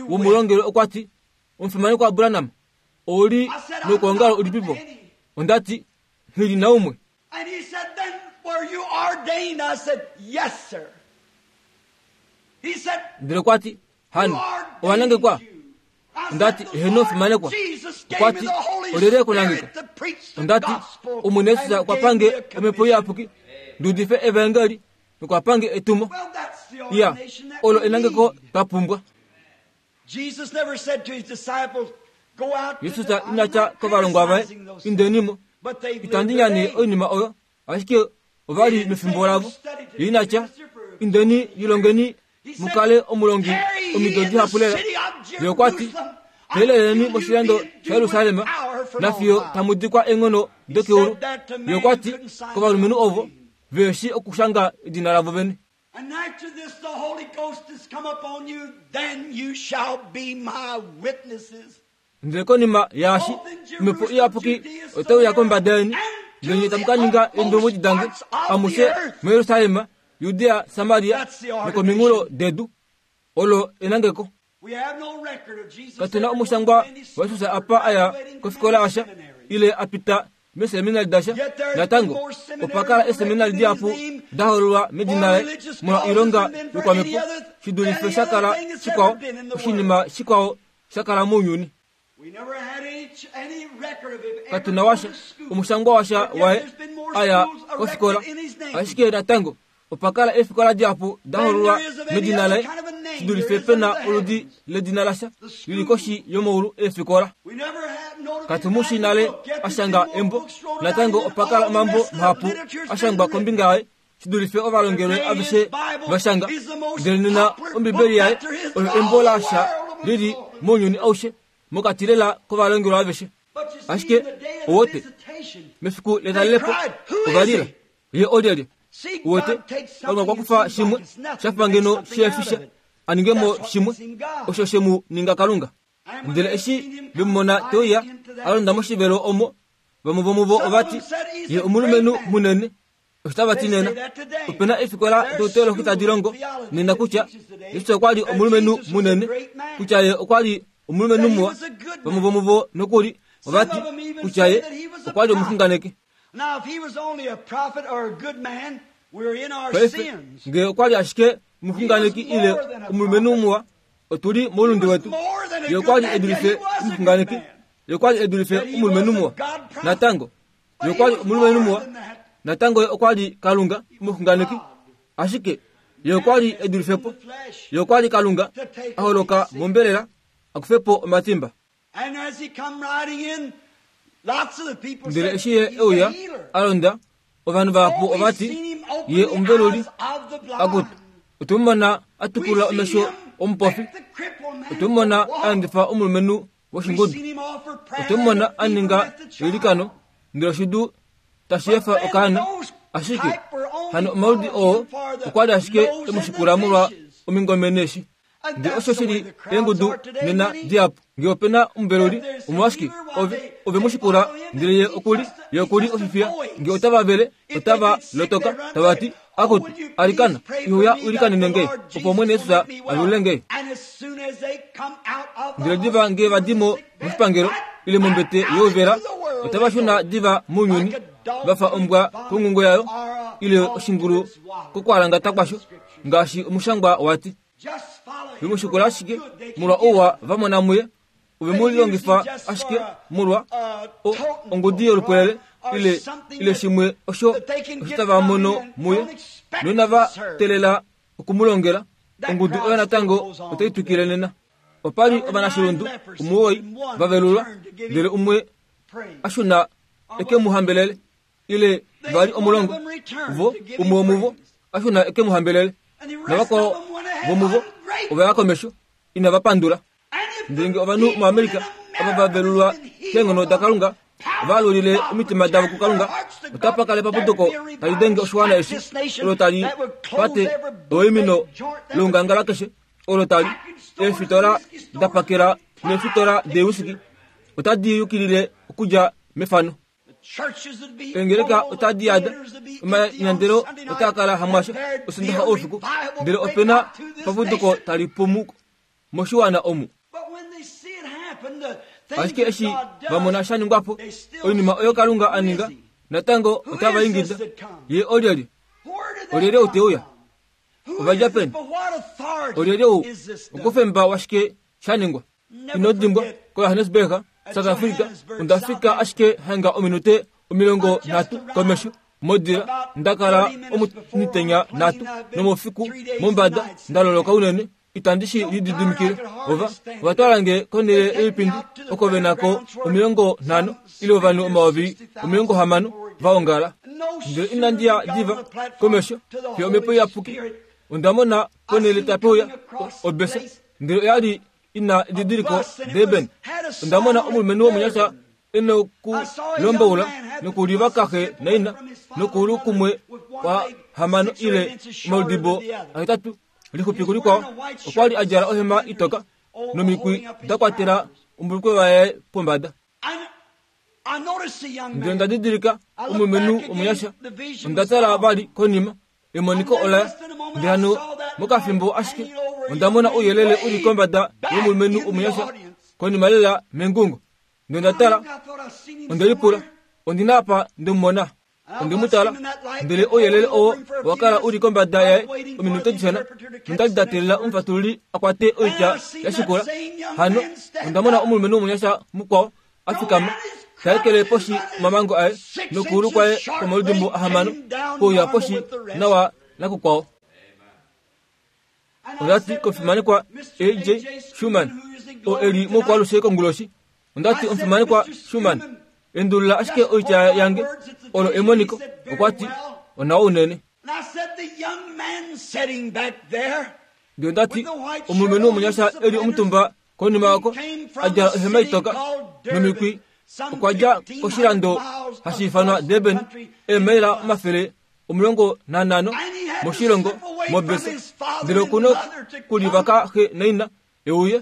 womulongelwe okwa ti, Omufimanekwa Branham, ou li noukwaongalo ulipipo? Onda ti, Nghi li naumwe. And he said, Then were you ordained? I said, Yes, sir. He said, Ndele okwa ti, Hano, owa nangekwa? Onda ti, Heeno, fimanekwa. Okwa ti, Olyelye e ku nangeka? Onda ti, Omwene Jesus okwa pange Omhepo Iyapuki ndi udife Evaengeli nokwa pange etumo. Iya, olo enangeko twa pumbwa. Jesus ina tya kovalongwa vaye, Indeni mo, itandi nyane oinima oyo, ashike ova li mefimbo lavo. Ye ina tya, Indeni lilongeni mu kale omulongi omido dihapu lela. Ye okwa ti, Teeleleni moshilando shaJerusalem nafiyo tamu dikwa eenghono dokeulu. Ye okwa ti kovalumenhu ovo ve shii okushanga edina lavo vene. And after this the Holy Ghost has come upon you, then you shall be my witnesses. Ndele konima yaashi, Omhepo Iyapuki otai uya kombada yeni, ndele nye tamu ka ninga eendombwedi dange amushe muJerusalem, Judea, Samaria nokominghulo dedu. Olo enangeko. Katu na omushangwa waJesus apa a ya kofikola yasha ile a pita meeseminali dasha. Natango, opa kala eeseminali dihapu da hololwa medina laye molwa oilonga yokwamhepo shi dulife sha kala shikwao oshinima shikwao sha kala mounyuni. Katu na washa omushangwa washa waye a ya kofikola, ashike natango opa kala eefikola dihapu da hololwa medina laye shi dulife pe na oludi ledina lasha li li koshi yomaulu eefikola. Katu mu shii nale a shanga embo, natango opa kala omambo mahapu a shangwa kombinga yaye shi dulife ovalongelwe aveshe va shanga. Ndele nena Ombibeli yaye oyo embo lasha li li mounyuni aushe, mokati lela kovalongelwe aveshe. Ashike owote, mefiku letalelepo ova lila, Ye olyelye? Uwete, Kalunga okwa kufa shimwe sha fa ngeno shiyefisha a ninge mo shimwe osho she mu ninga Kalunga. Ndele eshi ve mu mona te uya a londa moshivelo omo, vamwe vomuvo ova ti, Ye omulumenhu munene. Osho tava ti nena. Ope na eefikola douteologi tadi longo nena kutya Jesus okwa li omulumenhu munene, kutya ye okwa li omulumenhu muwa. Vamwe vomuvo nokuli ova ti kutya ye okwa li omuxunganeki. Paife, nge okwa li ashike omuxunganeki ile omulumenhu muwa, otu li moulunde wetu. Ye okwa li e dulife omuxunganeki. Ye okwa li e dulife omulumenhu muwa. Natango, Ye okwa li omulumenhu muwa, natango ye okwa li Kalunga omuxunganeki, ashike ye okwa li e dulife po. Ye okwa li Kalunga a holoka mombelela a kufe po omatimba. Ndele eshi ye e uya a londa, ovanhu vahapu ova ti, Ye omuveluli. Akutu, otwe mu mona a tukulula omesho omupofi. Otwe mu mona a endifa omulumenhu woshingudu. Otwe mu mona a ninga eilikano, ndele oshidu tashi efa okaana. Ashike hano omaludi oo okwa li ashike e mu shikula molwa omingome neeshi. Ndele osho shi li eengudu nena dihapu. Nge ope na omuveluli, omolwashike, ove, ove mu shikula, ndele ye oku li, ye oku li ofifiya. Nge otava vele, otava lotoka, tava ti, Akutu, alikana, ihuya u ilikanene nge, opo Omwene Jesus a velule nge. Ndele diva nge va di mo moshipangelo, ile mombete youvela, otava shuna diva mounyuni, va fa ombwa kongungo yayo, ile oshingulu kokwaalangata kwasho, ngaashi omushangwa wa ti. Ve mu shikula ashike molwa ouwa va mona muye, ove mu lilongifa ashike molwa o, ongudi yolupwelele ile, ile shimwe osho osho tava mono muye, noinava teelela oku mu longela. Ongudu oyo natango otai twikile nena. Opa li ovanashilundu omuwoi va velulwa, ndele umwe a shuna e ke mu hambelele. ile vali omulongo vo umwe womuvo a shuna e ke mu hambelele navakwao vomuvo ova ya komesho inava pandula ndele nge ovanhu muAmerica ava va velulwa keenghono daKalunga ova alulile omitima davo kuKalunga otapa kala epapuduko tali denge oshiwana eshi olo tali pate oimino loungangala keshe olo tali eefitola da pakela neefitola deewisiki otadi yukilile okudja mefano Eengeleka otadi yada, omanyandelo otaa kala hamwasha Osondaxa oufiku, ndele ope na epapuduko tali pumu moshiwana omu. Ashike eshi va mona sha ningwa po, oinima oyo Kalunga a ninga, natango otava ingida, Ye olyelye? Olyelye ou te uya? Ova dja peni? Olyelye ou? Okufemba washike sha ningwa? Ino dimbwa, koJohannesburg, South Africa, onda fika ashike hanga ominute 30 komesho modila, nda kala omitenya nhatu nomoufiku mombada, nda loloka unene, itandi shi lididimikile. Ova, ova twala nge konhele yoipindi oko ve na ko 50 ile ovanhu 60,000 va ongala. Ndele inandi ya diva komesho fiyo Omhepo Iyapuki onda mona ponhele tape uya obesa ndele oya li ina edidiliko Durban. Onda mona omulumenhu womunyasha e nokulomboula nokulivaka xe naina nokuulu kumwe kwa hamano ile omaludibo ahetatu lixupi kulikwao. Okwa li a djala ohema itoka nomikwi da kwatela ombulukwe waye pombada. Ndele onda didilika omulumenhu omunyasha. Onda tala vali konima Emoniko ola ndele hano mokafimbo ashike onda mona ouyelele u li kombada yomulumenhu omunyasha konima lela mengungo. Ndele onda tala, onde lipula, Ondi na apa nde mu mona? Onde mu tala, ndele ouyelele oo owa kala u li kombada yaye ominute dishona, nonda li nda teelela omufatululi a kwate oitya ya shikula. Hano onda mona omulumenhu omunyasha mukwao a fikama, ta ekele poshi omamango aye nokuulu kwaye kwomaludimbo ahamano kuuya poshi nawa nakukwao. Onda ti komufimanekwa A.J. Schumann, oo e li moukwaalushe konguloshi, onda ti omufimanekwa Schumann, endulula ashike oitya yange, olo emoniko. Okwa ti, Onawa unene. Ndele onda ti, Omulumenhu womunyasha e li omutumba konima oko, a djala ohema itoka nomikwi, okwa dja koshilando hashi ifanwa Durban, eemaila 150 moshilongo mobesa, ndele oku nokulivaka xe naina e uye.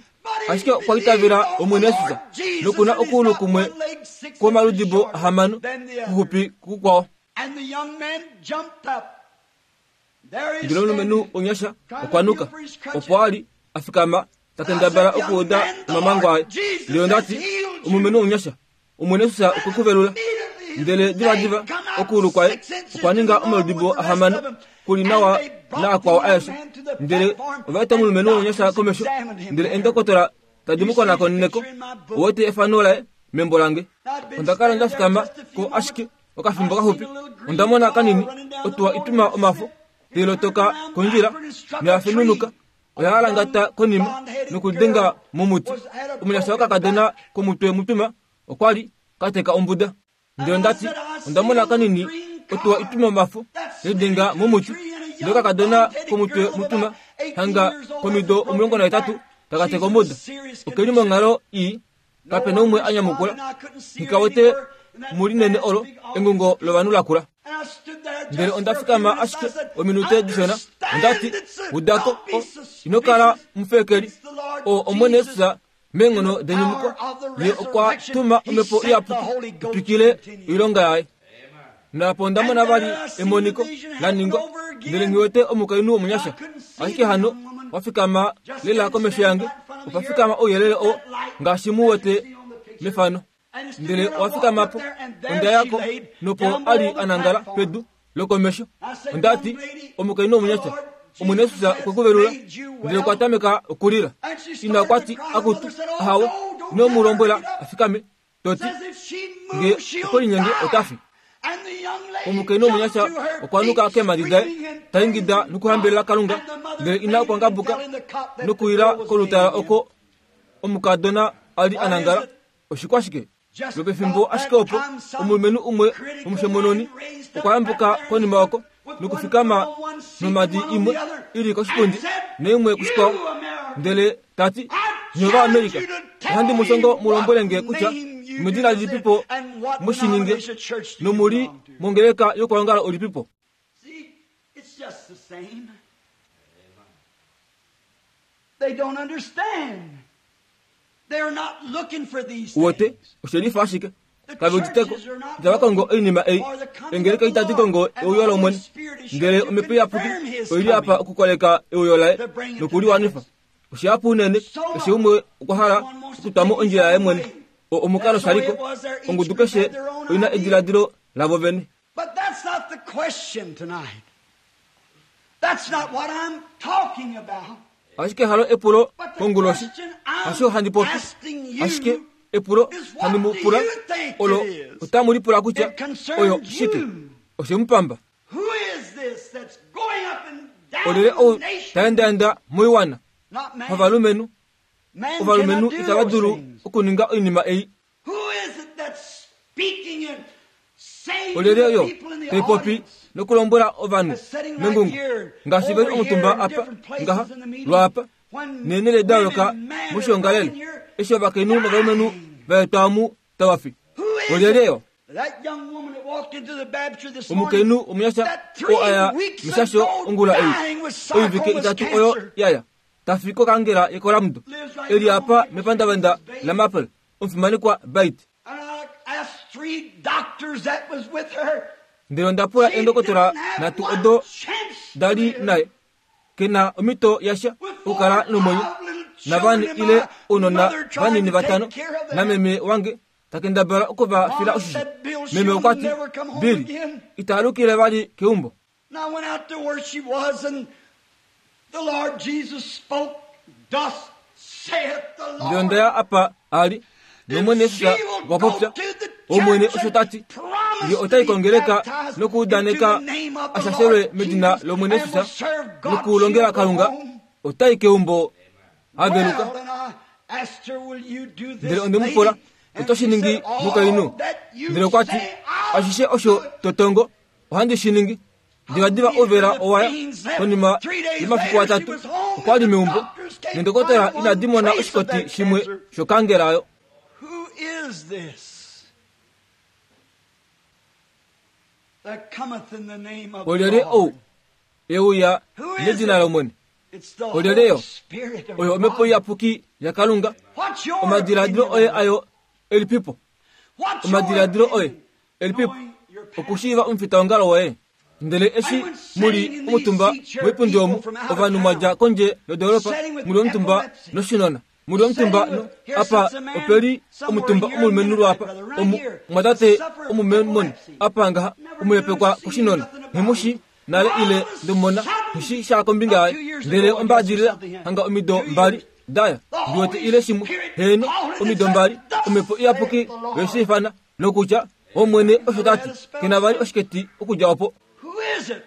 Ashike okwa itavela Omwene Jesus noku na okuulu kumwe kwomaludibo ahamano kuxupi kukwao. Ndele omulumenhu omunyasha okwa nuka, opo a li a fikama ta kendabala okuuda omamango aye. Ndele onda ti, Omulumenhu omunyasha, Omwene Jesus okwe ku velula. Ndele divadiva okuulu kwaye okwa ninga omaludibo ahamano ku li nawa naakwao aeshe. Ndele ova eta omulumenhu omunyasha komesho, ndele eendokotola tadi mu konakonene ko. Ou wete efano laye membo lange. Onda kala nda fikama ko ashike. Okafimbo kaxupi onda mona kanini otuwa ituma omafo tai lotoka kondjila noya fenunuka. Oya alangata konima nokudenga momuti. Omunyasha wokakadona komutwe mutuma okwa li ka teka ombuda. Ndele onda ti, Onda mona kanini otuwa ituma omafo lidenga momuti. Ndele okakadona komutwe mutuma hanga komido 18 taka teka ombuda. Oke li monghalo ii. Kape na umwe a nyamukula. Nghi wete mulinene olo engungo lovanhu lakula. Ndele onda fikama ashike ominute dishona. Onda ti, Udako, ino kala mufekeli. O Omwene Jesus meenghono denyumuko, Ye okwa tuma Omhepo Iyapuki itwikile oilonga yaye. Naapo onda mona vali emoniko la ningwa, ndele nghi wete omukainhu womunyasha. Ashike hano wa fikama lela komesho yange, opa fikama ouyelele oo ngaashi mu wete mefano. Ndele owa fikama po, onda ya ko, nopo a li a nangala pedu lokomesho. Onda ti, Omukainhu womunyasha, Omwene Jesus okwe ku velula. Ndele okwa tameka okulila. Ina okwa ti, Akutu, ahawe, ino mu lombwela a fikame. Toti, nge okwe linyenge ota fi. Omukainhu womunyasha okwa nuka keemhadi daye, ta ingida nokuhambelela Kalunga, ndele ina okwa ngabuka nokuila kolutala oko omukadona a li a nangala. Oshikwashike? Lwopefimbo ashike opo, omulumenhu umwe womushomononi okwa yambuka konima oko nokufikama nomhadi imwe i li koshipundi naimwe kushikwao, ndele ta ti, Nye Ovaamerica, ohandi mu shongo mu lombwele nge kutya omedina lilipipo mu shi ninge nomu li mongeleka yokuongala ulipipo. Uwete, oshe lifa ashike. Kave uditeko. Itava kongo oinima ei. Engeleka itadi kongo euyo lOmwene. Ndele Omhepo Iyapuki oi li apa okukoleka euyo laye nokuliwanifa. Oshihapu unene, keshe umwe okwa hala okutwa mo ondjila yaye mwene. O omukalo shaliko. Ongudu keshe oi na ediladilo lavo vene. But that's not the question tonight. That's not what I'm talking about. Ashike halo epulo konguloshi, hasho handi popi. Ashike epulo handi mu pula olo otamu lipula kutya oyo shike. Oshe mu pamba. Olyelye ou ta endaenda moiwana? Ovalumenhu. Ovalumenhu itava dulu okuninga oinima ei. Olyelye oyo tai popi nokulombwela ovanhu mengungo ngaashi ve li omutumba apa ngaha lwaapa neenhele da yooloka moshiongalele eshi ovakainhu novalumenhu va etwa omu tava fi? Olyelye yo? Omukainhu omunyasha oo a ya meshasho ongula ei oivike itatu oyo ya ya ta fi kokangela yekolamdo e li apa mepandavanda laMaple. Omufimanekwa Bait. Ndele onda pula eendokotola nhatu odo da li naye, ke na omhito yasha okukala nomwenyo, navane ile ounona vanini vatano, nameme wange ta kendabala oku va fila oshisho. Meme okwa ti, Billy, ita alukile vali keumbo. Ndele onda ya apa a li, nOmwene Jesus okwa popya, Omwene osho ta ti, Ye ota i kongeleka nokuudaneka a shashelwe medina lOmwene Jesus nokulongela Kalunga, ota i keumbo a veluka. Ndele onde mu pula, Oto shi ningi mukainhu? Ndele okwa ti, Ashishe osho to tongo, ohandi shi ningi. Divadiva ouvela owa ya. Konima yomafiku atatu, okwa li meumbo, nendokotola inadi mona oshikoti shimwe shokangela oyo. Olyelye ou e uya nedina lOmwene? Olyelye yo? Oyo Omhepo Iyapuki yaKalunga. Omadiladilo oye ayo elipipo? Omadiladilo oye elipipo okushiiva omufitaongalo woye? Ndele eshi mu li omutumba moipundi omu, ovanhu mwa dja kondje yodoolopa, mu li omutumba noshinona, mu li omutumba no, apa ope li omutumba omulumenhu lwaapa, omu, omwatate omumemoni, apa ngaha, omuhepekwa koshinona, nghi mu shi nale ile ndemumona, nghi shi sha kombinga yaye. Ndele ombaadilila hanga omido mbali daya, ndi wete ile shimwe, heeno, omido mbali, Omhepo Iyapuki oye shi ifana, nokutya, Omwene osho ta ti, ke na vali oshiketi okudja opo.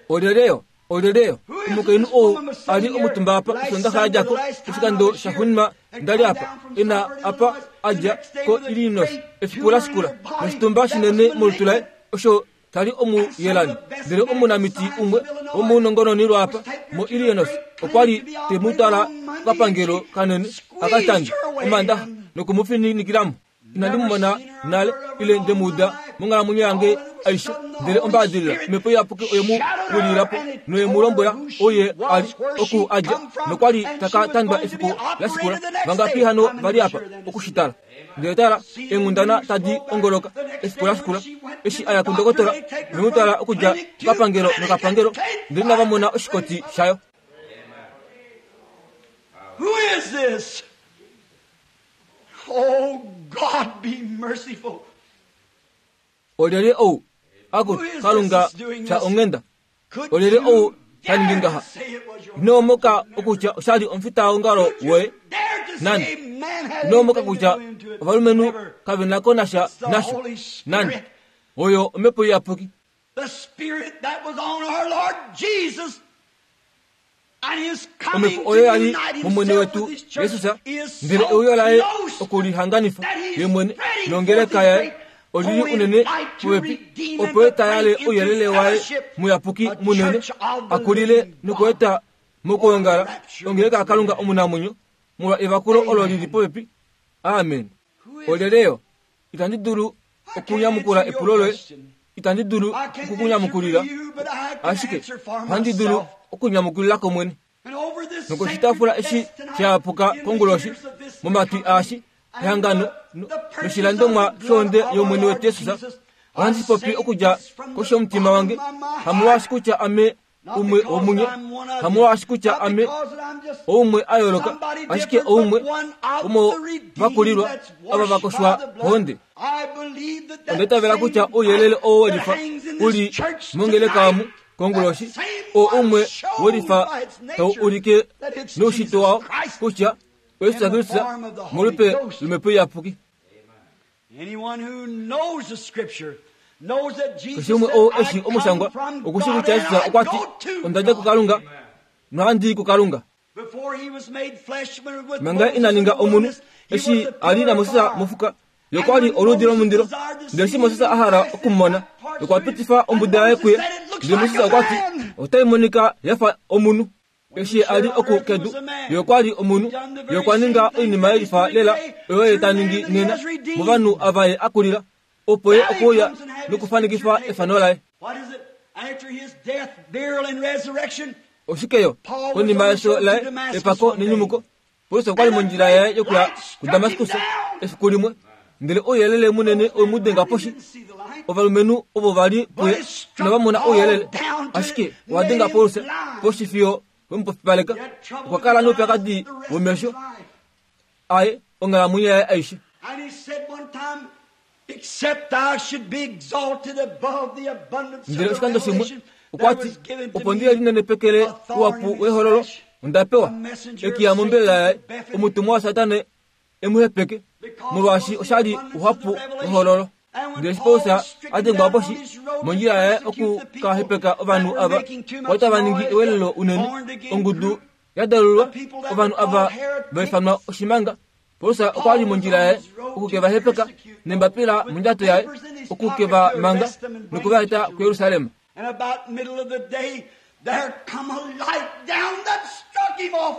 Olyelye Olyelye omukainhu ou a li omutumba apa Osondaxa ya dja ko, oshikando shaxuuninwa nda li apa, e na apa a dja koIllinois efiku la shikula, noshitumba shinene molutu laye, osho sha li omuyelani. Ndele omunamiti umwe womounongononi lwaapa moIllinois okwa li te mu twala kokapangelo kanene a ka tandwe Omaandaxa noku mu fininikila mo. Inandi mu mona nale ile nde mu uda monghalamwenyo yange aishe. Ndele ombaadilila Omhepo Iyapuki oye mu wilila po noye mu lombwela ou ye a li, oku a dja, nokwa li ta ka tandwa efiku la shikula. Vangapi hano va li apa oku shi tala? Ndele tala, eenghundana tadi ongoloka efiku la shikula, eshi a ya kundokotola noye mu twala okudja kokapangelo nokapangelo, ndele inava mona oshikoti shayo. Who is this? Oh, God, be merciful. Olyelye ou? Aku, Kalunga, fya onghenda. Olyelye ou ta ningi ngaha? Ino moka okutya osha li omufitaongalo woye? Nande. Ino moka kutya ovalumenhu kave na ko nasha nasho? Nande. Oyo Omhepo Iyapuki. The Spirit that was on our Lord Jesus Omhepo oyo ya li mOmwene wetu Jesus, ndele euyo laye okulihanganifa ye mwene nongeleka yaye oli li unene popepi, opo ye ta yale ouyelele waye muyapuki munene, a kulile nokueta mokwoongala ongeleka yaKalunga omunamwenyo molwa evakulo olo li li popepi. Amen. Olyelye yo? Itandi dulu okunyamukula epulo loye. Itandi dulu okukunyamukulila, ashike ohandi dulu okunyamukulila kOmwene. Nokoshitaafula eshi sha yapuka konguloshi, momatwi aashi, ehangano noshilandomwa shohonde yOmwene wetu Jesus, ohandi shi popi okudja koshi yomutima wange, hamolwaashi kutya ame umwe womunye, hamolwaashi kutya ame oumwe a yooloka, ashike oumwe womovakulilwa ava va koshwa kohonde. Onda itavela kutya ouyelele oo we lifa u li mongeleka omu konguloshi, oo umwe we lifa tau ulike noushitwe wao kutya oJesus Kristus molupe lOmhepo Iyapuki. Keshe umwe ou e shii omushangwa oku shii kutya Jesus okwa ti, Onda dja kuKalunga nohandi i kuKalunga. Manga ina ninga omunhu, eshi a li naMoses mofuka, ye okwa li oludi lomundilo. Ndele eshi Moses a hala oku mu mona, okwa pitifa ombuda yaye kuye, ndele Moses okwa ti, Otai monika ya fa omunhu. Eshi a li oku kedu, ye okwa li omunhu. Ye okwa ninga oinima ye lifa lela oyo ye ta ningi nena movanhu ava ye a kulila, opo ye okuuya nokufanikifa efano laye. Oshike yo? Konima yefyo laye, epako nenyumuko, Paulus okwa li mondjila yaye yokuya kuDamaskus efiku limwe, ndele ouyelele munene owe mu denga poshi. Ovalumenhu ovo va li puye inava mona ouyelele, ashike owa denga Paulus poshi fiyo we mu pofipaleka. Okwa kala noupyakadi womesho aye onghalamwenyo yaye aishe. Ndele oshikando shimwe okwa ti, Opo ndi linenepekele ouhapu wehololo, onda pewa ekiya mombelela yaye, omutumwa waSatana e mu hepeke, molwaashi osha li ouhapu wehololo. Ndele eshi Paulus a dengwa poshi mondjila yaye oku ka hepeka ovanhu ava, okwa li tava ningi ewelelo unene, ongudu ya dalulwa, ovanhu ava va ifanwa oshimanga. Paulus okwa li mondjila yaye oku ke va hepeka nembapila mondjato yaye oku ke va manga noku va eta kuJerusalem. And about middle of the day, there come a light down that struck him off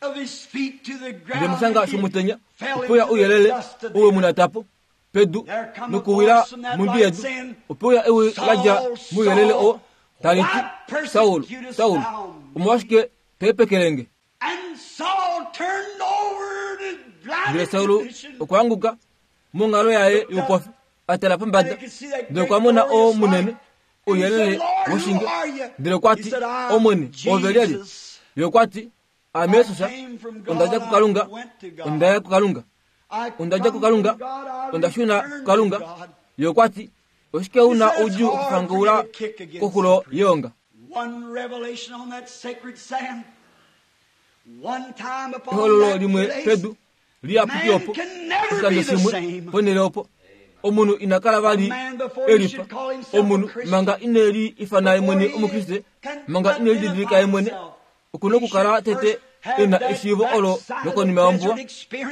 of his feet to the Ndele ground. moshanga and he shomutenya fell ope uya into the ouyelele dust of the ou we mu nata po pedu There come a nokuwila voice from that mondwi light yedu. saying, Ope uya ewi la dja Saul, mouyelele oo Saul, tali why ti, Saul, persecutest Saul, thou me? omolwashike to hepekele nge? And Saul turned over in his Ndele blinded Saul condition. okwa anguka monghalo yaye youpofi, a tala pombada, ndele okwa mona oo munene, ouyelele woshinge. Ndele okwa ti, Omwene, oove lyelye? Ye okwa ti, Aame Jesus, onda dja kuKalunga, onda ya kuKalunga. Onda dja kuKalunga, onda shuna kuKalunga. Ye okwa ti, Oshike u na oudjuu okufangaula koxulo yeonga? One revelation on that sacred sand. One time upon Ehololo that limwe place, pedu liyapuki opo, Man can never oshikando be the shimwe same. ponhele opo. Omunhu ina kala vali e lifa. Omunhu manga ine li ifana ye mwene Omukriste, manga ine lididilika ye mwene, oku na okukala tete e na eshiivo olo lokonima yombuwa,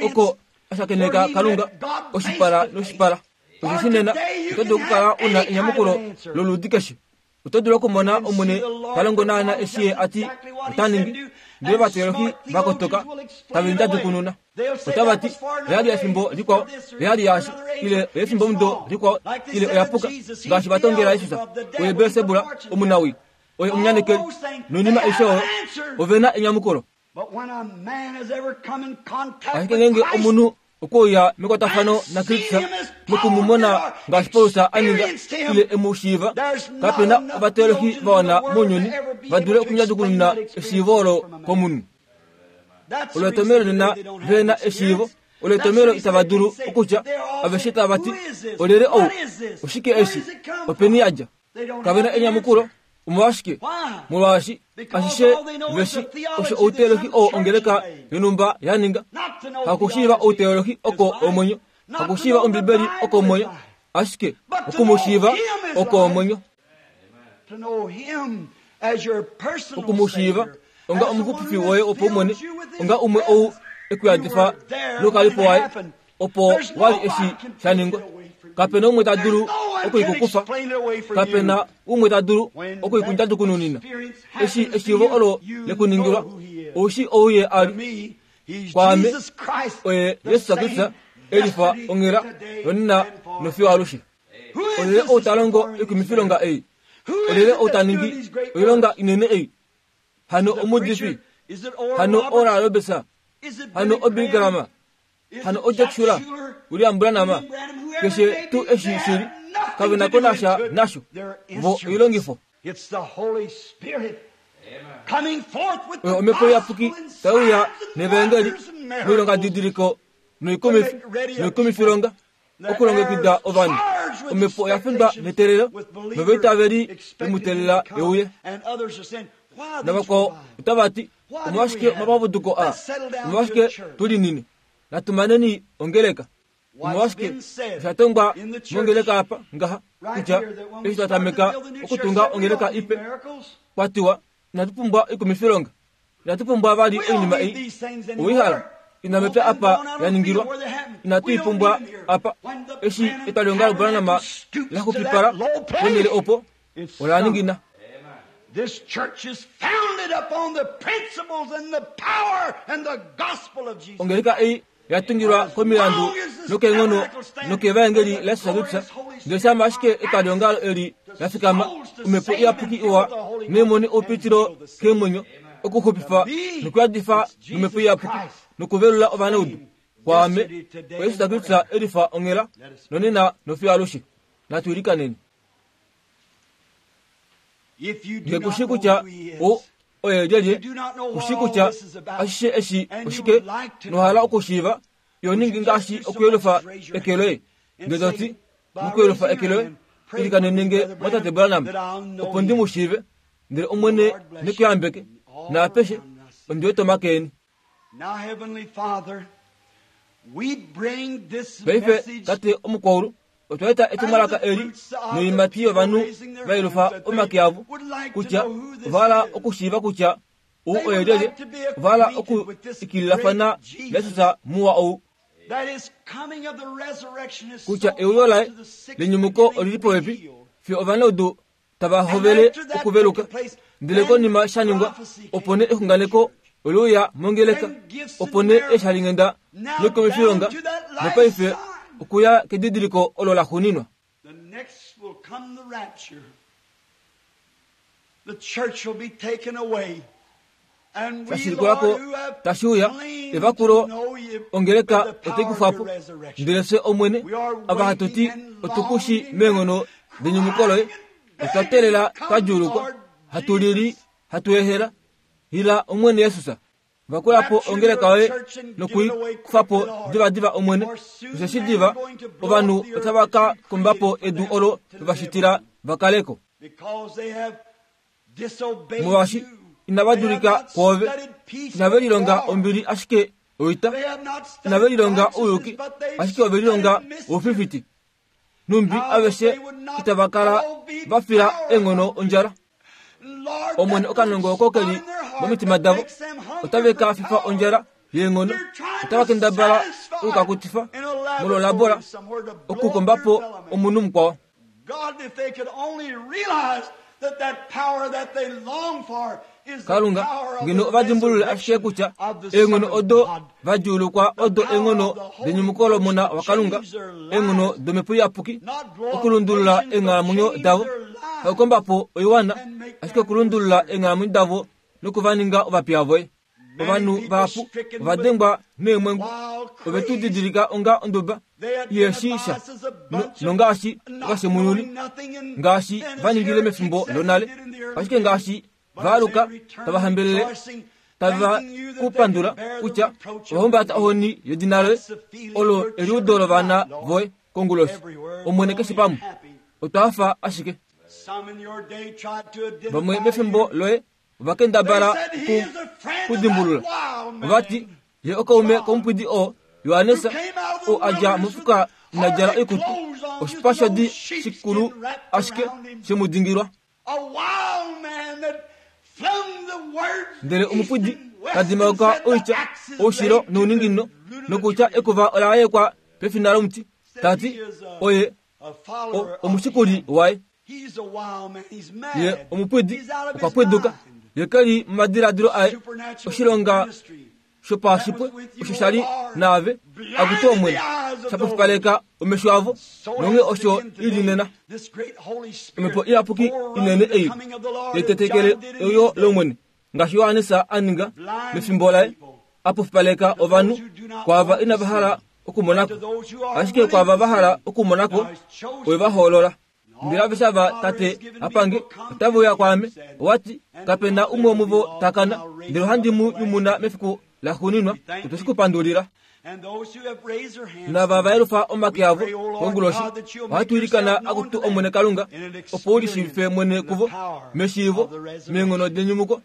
oko a shakeneka Kalunga oshipala noshipala. Osheshi nena oto dulu okukala u na enyamukulo loludi keshe. Oto dulu okumona Omwene ta longo naana eshi Ye a ti ota ningi. Ndele ovateolohi va kotoka tave ndjadukununa. Otava ti, Oya li efimbo likwao, oya li yaashi, ile oyefimbomudo likwao, ile oya puka, ngaashi va tongela Jesus, Oye Belsebula, omunawii, oye omunyanekeli, noinima aishe oyo. Ove na enyamukulo. Ashike ngeenge omunhu okwe uya mekwatafano naKristus noku mu mona ngaashi Paulus a ninga ile e mu shiiva, kape na ovateolohi va wana mounyuni va dule okundjadjukununa eshiivo olo komunhu. Olo etomhelo nena ve na eshiivo. Olo etomhelo itava dulu okutya aveshe tava ti, Olyelye ou? Oshike eshi? Openi ya dja? Kave na enyamukulo. Omolwashike? Molwaashi ashishe veshi osho outeolohi oo ongeleka yonhumba ya ninga. Hakushiiva outeolohi oko omwenyo, hakushiiva Ombibeli oko omwenyo, ashike oku mu shiiva oko omwenyo. Oku mu shiiva onga omuxupifi woye wopaumwene, onga umwe ou e ku yadifa noukalipo waye, opo wa li eshi sha ningwa. Kape na umwe ta dulu oku i ku kufa. Kape na umwe ta dulu oku i ku ndjadukununina. Eshi eshiivo olo le ku ningilwa, ou shii ou ye a li. Kwaame, oye Jesus Kristus e lifa onghela yonena nofiyo alushe. Olyelye ou ta longo oikumifilonga ei? Olyelye ou ta ningi oilonga inene ei? Hano omuudifi? Hano Oral Roberts? Hano oBilly Graham? Hano oJack Shuler, William Branham, keshe tuu eshi shi li, kave na ko nasha nasho. Vo oilongifo. Oyo Omhepo Iyapuki tai uya nevaengeli noilongadidiliko noikumifi noikumifilonga okulongekida ovanhu. Omhepo oya findwa neteelelo novaitaveli ve mu teelela e uye. Navakwao otava ti, Omolwashike omapapuduko aa? Omolwashike tu linine? Natu maneni ongeleka. Omolwashike osha tongwa mongeleka apa ngaha kutya eshi twa tameka okutunga ongeleka ipe, kwa tiwa inatu pumbwa oikumifilonga, inatu pumbwa vali oinima ei. Owei hala ina mepya apa ya ningilwa, inatu i pumbwa apa. Eshi etwalihongalo Branham la xupipala ponhele opo, ola ningina. This church is founded upon the principles and the power and the gospel of Jesus. Ongeleka ei ya tungilwa komilandu nokeenghono nokevaengeli laJesus Kristus, ndele shama ashike etwalihongalo eli la fikama, Omhepo Iyapuki iwa neemoni oupitilo keemwenyo, okuxupifa nokuyadifa nOmhepo Iyapuki nokuvelula ovanaudu. Kwaame, oJesus Kristus e lifa onghela, nonena nofiyo alushe. Natu ilikaneni. Nge ku shii kutya o oye lyelye, ku shii kutya ashishe eshi oshike, nohala okushiiva, yo ningi ngaashi okuyelufa eke loye. Nge to ti, mokuyelufa eke loye, ilikanene nge mwatate Branham, opo ndi mu shiive, ndele Omwene ne ku yambeke, naapeshe, ondi wete omake eni. Paife, Tate omukwaulu, otwa eta etumwalaka eli noimati yovanhu va yelufa omake avo kutya ova hala okushiiva kutya ou oye lyelye, ova hala okuikililafana naJesus muwa ou. Kutya euyo laye lenyumuko oli li popepi, fiyo ovanaudu tava hovele okuveluka. Ndele konima sha ningwa, opo nee exunganeko ole uya mongeleka, opo nee eeshalinghenda noikumifilonga, nopaife okuya kedidiliko olo la xuuninwa. Sha shilikula ko tashi uya, evakulo ongeleka otai kufwa po. Ndele fye, Omwene, ava hatu ti otu ku shi meenghono denyumuko loye, otwa teelela twa djuulukwa, hatu lili, hatu ehela. Ila, Omwene Jesus. Vakula po ongeleka yoye noku i kufa po divadiva, Omwene, osheshi diva ovanhu otava ka komba po edu olo va shitila va kale ko. Molwaashi inava dulika kwoove, inave lilonga ombili ashike oita, inave lilonga ouyuki ashike ove lilonga oufifiti. Numbi aveshe itava kala va fila eenghono ondjala. Omwene okanongo oko keli momitima davo otave ka fifa ondjala yeenghono, otava kendabala okukakutifa molwolabola okukomba po omunhu mukwao. Kalunga, ngeno ova dimbulule ashike kutya eenghono odo va djuulukwa odo eenghono denyumuko lOmona waKalunga, eenghono dOmhepo Iyapuki, okulundulula eenghalamwenyo davo, hakukomba po oiwana, ashike okulundulula eenghalamwenyo davo noku va ninga ovapiya voye. Ovanhu vahapu ova dengwa neemwengu, ove tu didilika onga onduba iheshi sha, nongaashi ovashemununi, ngaashi va ningile mefimbo lonale, ashike ngaashi va aluka tava hambelele tava ku pandula kutya ova humbata ohoni yedina loye, olo eliudo lovana voye konguloshi. Omwene keshe pamwe, otwa hafa ashike. Vamwe mefimbo loye ova kendabala ku dimbulula, ova ti ye okaume komupwidi oo Johannes oo a dja mofuka ina djala oikutu, oshipa shodi shikulu ashike she mu dingilwa. Ndele omupwidi ta dimauka oitya oushilo nouninginino nokutya ekuva ola yekwa pefina lomuti, ta ti oye omushikuli waye. Ye omupwidi okwa pwiduka, ye ke li momadiladilo aye oshilonga shopashipwe osho sha li naave, akutu Omwene, sha pofipaleka omesho avo, nonge osho i li nena. Omhepo Iyapuki inene ei yetetekele euyo lOmwene, ngaashi Johannes a ninga mefimbo laye, a pofipaleka ovanhu kwaava inava hala okumonako, ashike kwaava va hala okumonako, oye va hoolola. Ndele aveshe ava Tate a pange otave uya kwaame. Owa ti, Kape na umwe womuvo ta kana, ndele ohandi mu nyumuna mefiku laxuuninwa. Otwe shi ku pandulila. Naava va yelufa omake avo konguloshi, ohatu ilikana akutu Omwene Kalunga, opo u lishiivife mwene kuvo meshiivo, meenghono denyumuko.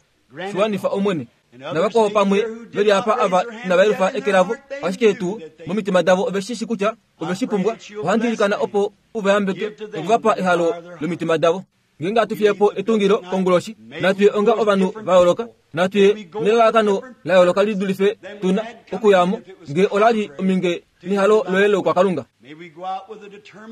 Shi wanifa Omwene. Navakwao pamwe ve li apa ava inava yelufa eke lavo, ashike tuu momitima davo ove shi shi kutya ove shi pumbwa. Ohandi ilikana opo u va yambeke noku va pa ehalo lomitima davo. Ngeenge hatu fiye po etungilo konguloshi, natu ye onga ovanhu va yooloka, natu ye nelalakano la yooloka li dulife tu na okuya mo, ngee ola li ominge nehalo loye loukwakalunga.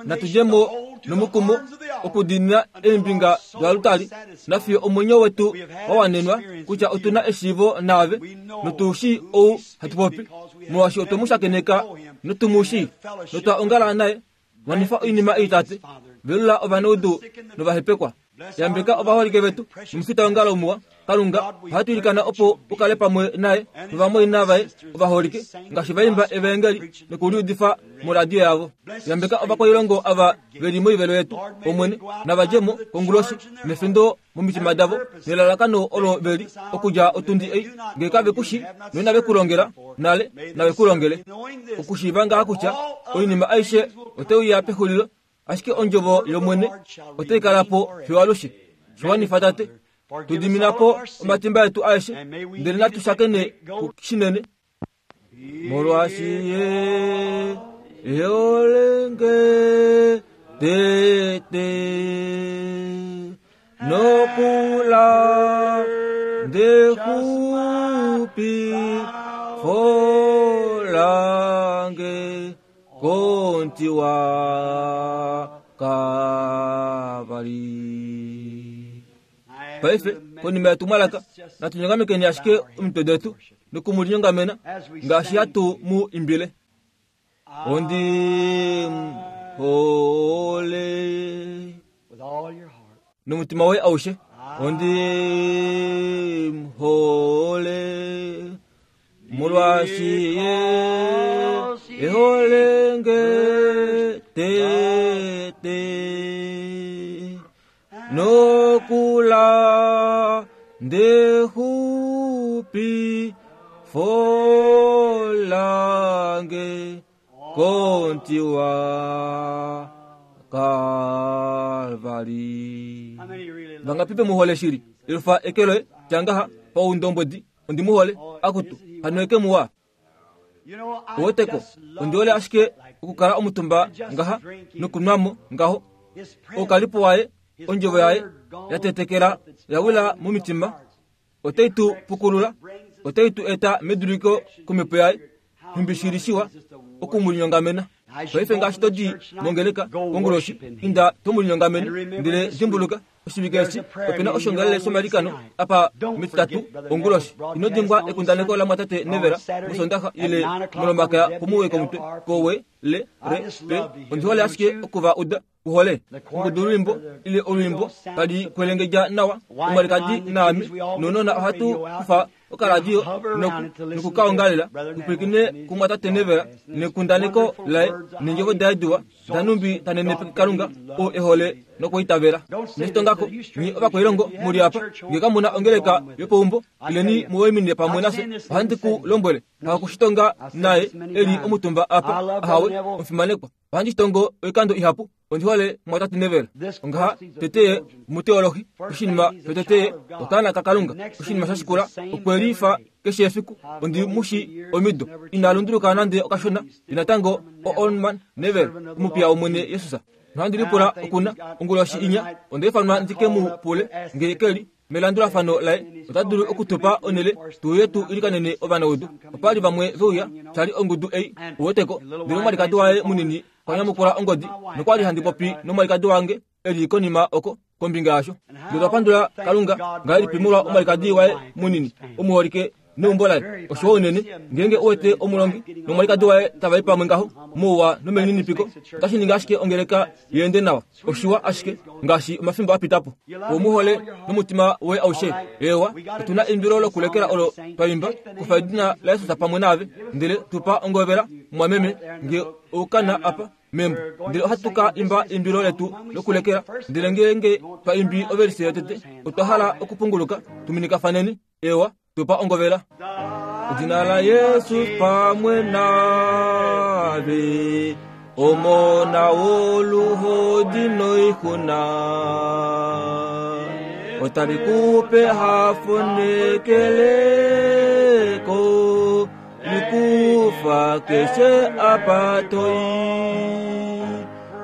Natu dje mo nomukumo okudiinina eembinga doalutali, nafiyo omwenyo wetu wa wanenwa kutya otu na eshiivo naave notu shii ou hatu popi, molwaashi otwe mu shakeneka notu mu shii notwa ongala naye. Wanifa oinima ei, Tate. Velula ovanaudu novahepekwa. Yambeka ovaholike vetu nomufitaongalo muwa. Kalunga, ohatu ilikana opo u kale pamwe naye novamwaina vaye ovaholike, ngaashi va imba evaengeli nokuliudifa moradio yavo. Yambeka ovakwailongo ava ve li moivelo yetu, Omwene, nava dje mo konguloshi nefindo momitima davo nelalakano olo ve li okudja otundi ei, ngee kave ku shi noinave ku longela nale, nave ku longele. Okushiiva ngaha kutya oinima aishe otai uya pexulilo, ashike ondjovo yOmwene otai kala po fiyo alushe. Shi wanifa, Tate. Tu dimina po omatimba etu aeshe, ndele natu shakene shinene. Molwaashi ye eholenge tete nokula ndexupi folange konti wa Kalvari. Paife, konima yetumwalaka, natu nyongamekeni ashike omitwe detu noku mu linyongamena ngaashi hatu mu imbile. Ondi hole nomutima woye aushe. Ondi hole molwaashi ye ehole nge tete nokula ndexupi folange kontiwa Kalvari. Vangapi ve mu hole shili? Elufa eke loye, tya ngaha, paundombwedi, ondi mu hole. Akutu, hano eke muwa. Oweteko ondiole ashike okukala omutumba ngaha nokunwamo ngaho oukalipo waye ondjovo yaye yatetekela yawila momitima otai tu pukulula otai tu eta meduliko komhepo yaye nhumbi okumulinyongamena paife ngaashi todi mongeleka konguloshi inda tomulinyongamene ndele dimbuluka oshivike eshi opena oshongalele shomalikano apa metitatu onguloshi ino dimbwa ekundaneko la mwatate Nevera mosondaxa ile molomaka pomuwe komutwe kowe le re pe ondihole ashike okuva uda uhole ongudu olwimbo ile olwimbo tali kwelengedja nawa omwalikadi naame nonona ohatu kufa okaradio nokukaongalela tupwilikine kumwatate Nevera nekundaneko laye nendjovo daye diwa danumbi tanenepeke Kalunga oo ehole nokuitavela. Neshitongako nyi ovakwailongo muli apa nge kamuna ongeleka yopeumbo ileni muwaiminine pamwe nafye ohandi ku lombwele hakushitonga naye eli omutumba apa ahawe omufimanekwa ohandi shitongo oikando ihapu ondihole mwatate Nevera ongaha teteye muteolohi oshinima shoteteye okaana kaKalunga oshinima shashikula okwelifa keshe efiku ondi mushi omido ina lunduluka nande okashona inatango o-Onman Nevera omupiya womwene Yesus nohandi lipula okuna onguloshi inya ondaifanwa ndike mu pule nge keli melandulafano laye ota dulu okutupa onele tuuye tu ilikanene ovanaudu opali vamwe veuya shali ongudu ei uweteko ndele omwalikadi waye munini kwanyamukula ongodi nokwali handi popi nomwalikadi wange eli konima oko kombinga yasho ndele twapandula Kalunga ngahelipi molwa omwalikadi waye munini omuholike neumbo laye oshowo unene ngeenge uwete omulongi nomwalikadi waye tavai pamwe ngaho mouwa nomelininipiko otashi ningi ashike ongeleka yeende nawa oshiwa ashike ngaashi omafimbo apitapo omuhole nomutima woye aushe ewa otuna eimbilo lokulekela olo twaimba kufa edina laYesus pamwe naave ndele tupa ongovela mwameme nge oukana apa membo ndele ohatu ka imba eimbilo letu lokulekela ndele ngeenge twa imbi ovelise yotete otwa hala okupunguluka tuminikafaneni ewa tupa ongovela edina la Yesu pamwe nave omona woluhodi noixuna otali kupe hafo nekeleko likufa keshe apa toi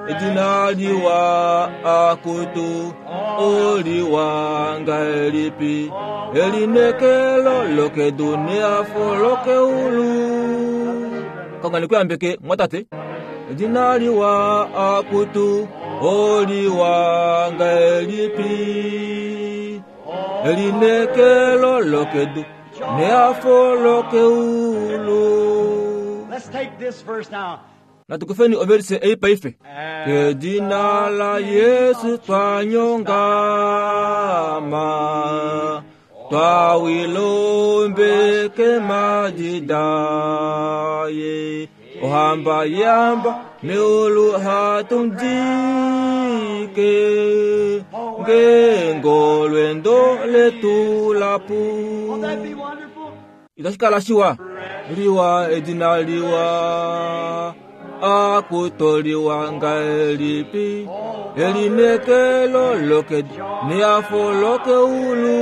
edina liwa akutu oliwa ngahelipi elinekelo lokedu neafo lokeulu Kalunga nekuyambeke mwatate edina liwa akutu oliwa ngahelipi elinekelo lokedu neafo lokeulu. Let's take this verse now. Natukufeni overse ei paife kedina la Yesu twanyongama twawilombeke madidaye ohamba yamba meulu hatumdike ngengolwendo letu lapu. Won't that be wonderful? Itashikala shiwa liwa edina liwa akutoliwa ngahelipi elinekelo lokedu neafo lokeulu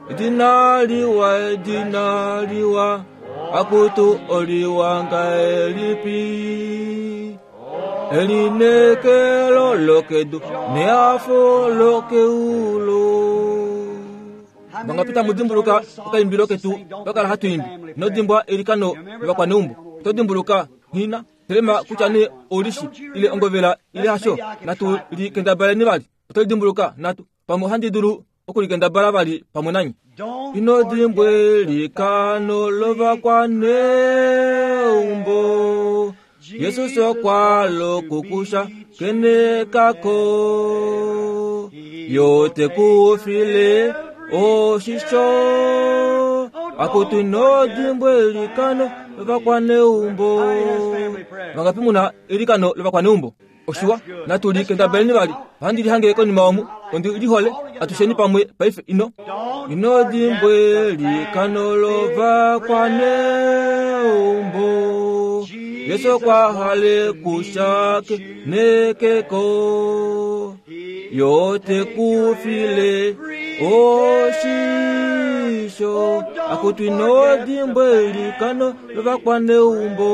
edina liwa edina liwa akutu oliwa ngahelipi elinekelo lokedu neafo lokeulu. Vangapita mudimbuluka okaimbilo ketu vakala hatuimbi nodimbwa elikano lovakwaneumbo todimbuluka hina telema kutya ne olishi ile ongovela ile hasho natu likendabaleni vali otolidimbuluka natu pamwe ohandi dulu okulikendabala vali pamwe nanyi ino dimbwe likano lovakwaneumbo Yesus okwalo kukusha kene kako yote kufile oshisho akutu nodimbwe likano lovakwaneumbo vangapimuna elikano lovakwaneumbo oshiwa natu likendabeleni vali ohandi lihange konima omu ondi lihole atusheni pamwe paife ino ino dimbwe likano lovakwaneumbo Yesu kwahale kushake nekeko yote kufile oshisho komesho akutu ino dimbwa eilikano lovakwaneumbo.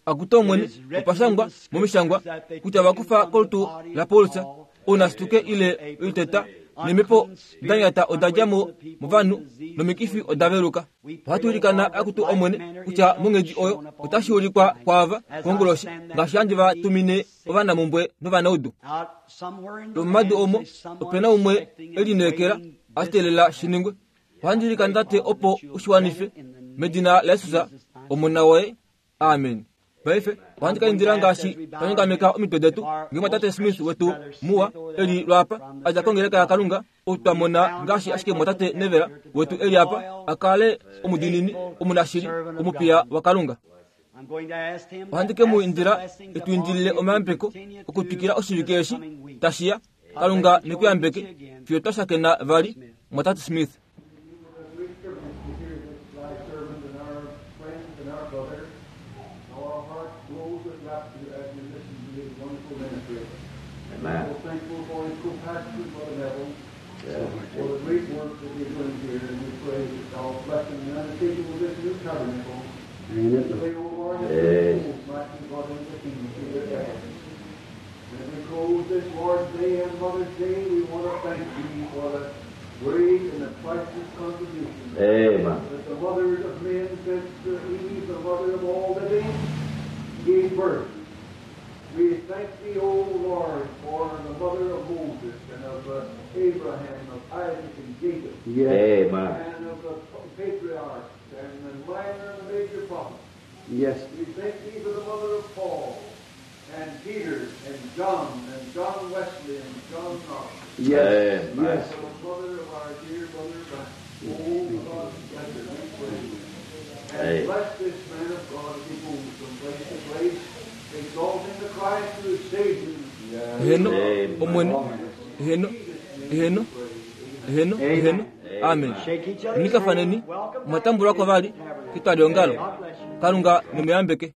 Akutu Omwene, opa shangwa momishangwa kutya va kufa kolutu laPaulus ounasituke ile oiteta neemhepo da nyata oda dja mo movanhu nomikifi oda veluka. Ohatu ilikana akutu Omwene kutya monghedi oyo otashi ulikwa kwaava konguloshi ngaashi handi va tumine ovanamumbwe novanaudu. Lwomomadu omo ope na umwe e lineekela a teelela shi ningwe. Ohandi ilikana Tate opo u shi wanife medina laJesus Omona woye. Amen. Paife, ohandi ka indila ngaashi twa nyongameka omitwe detu, ngeenge Tate Smith wetu muwa e li lwaapa, a dja kongeleka yaKalunga, ou twa mona ngaashi ashike Mwatate Neville wetu e li apa, a kale omudiinini, omunashili, omupiya waKalunga. Ohandi ke mu indila e tu indilile omayambeko okutwikila oshivike eshi tashi ya. Kalunga ne ku yambeke fiyo twa shakena vali, Mwatate Smith. Heeno, Omwene. Heeno, heeno, heeno, heeno. Amen. Nyikafaneni, omwa tambulwa ko vali ketwaliongalo. Kalunga ne mu yambeke.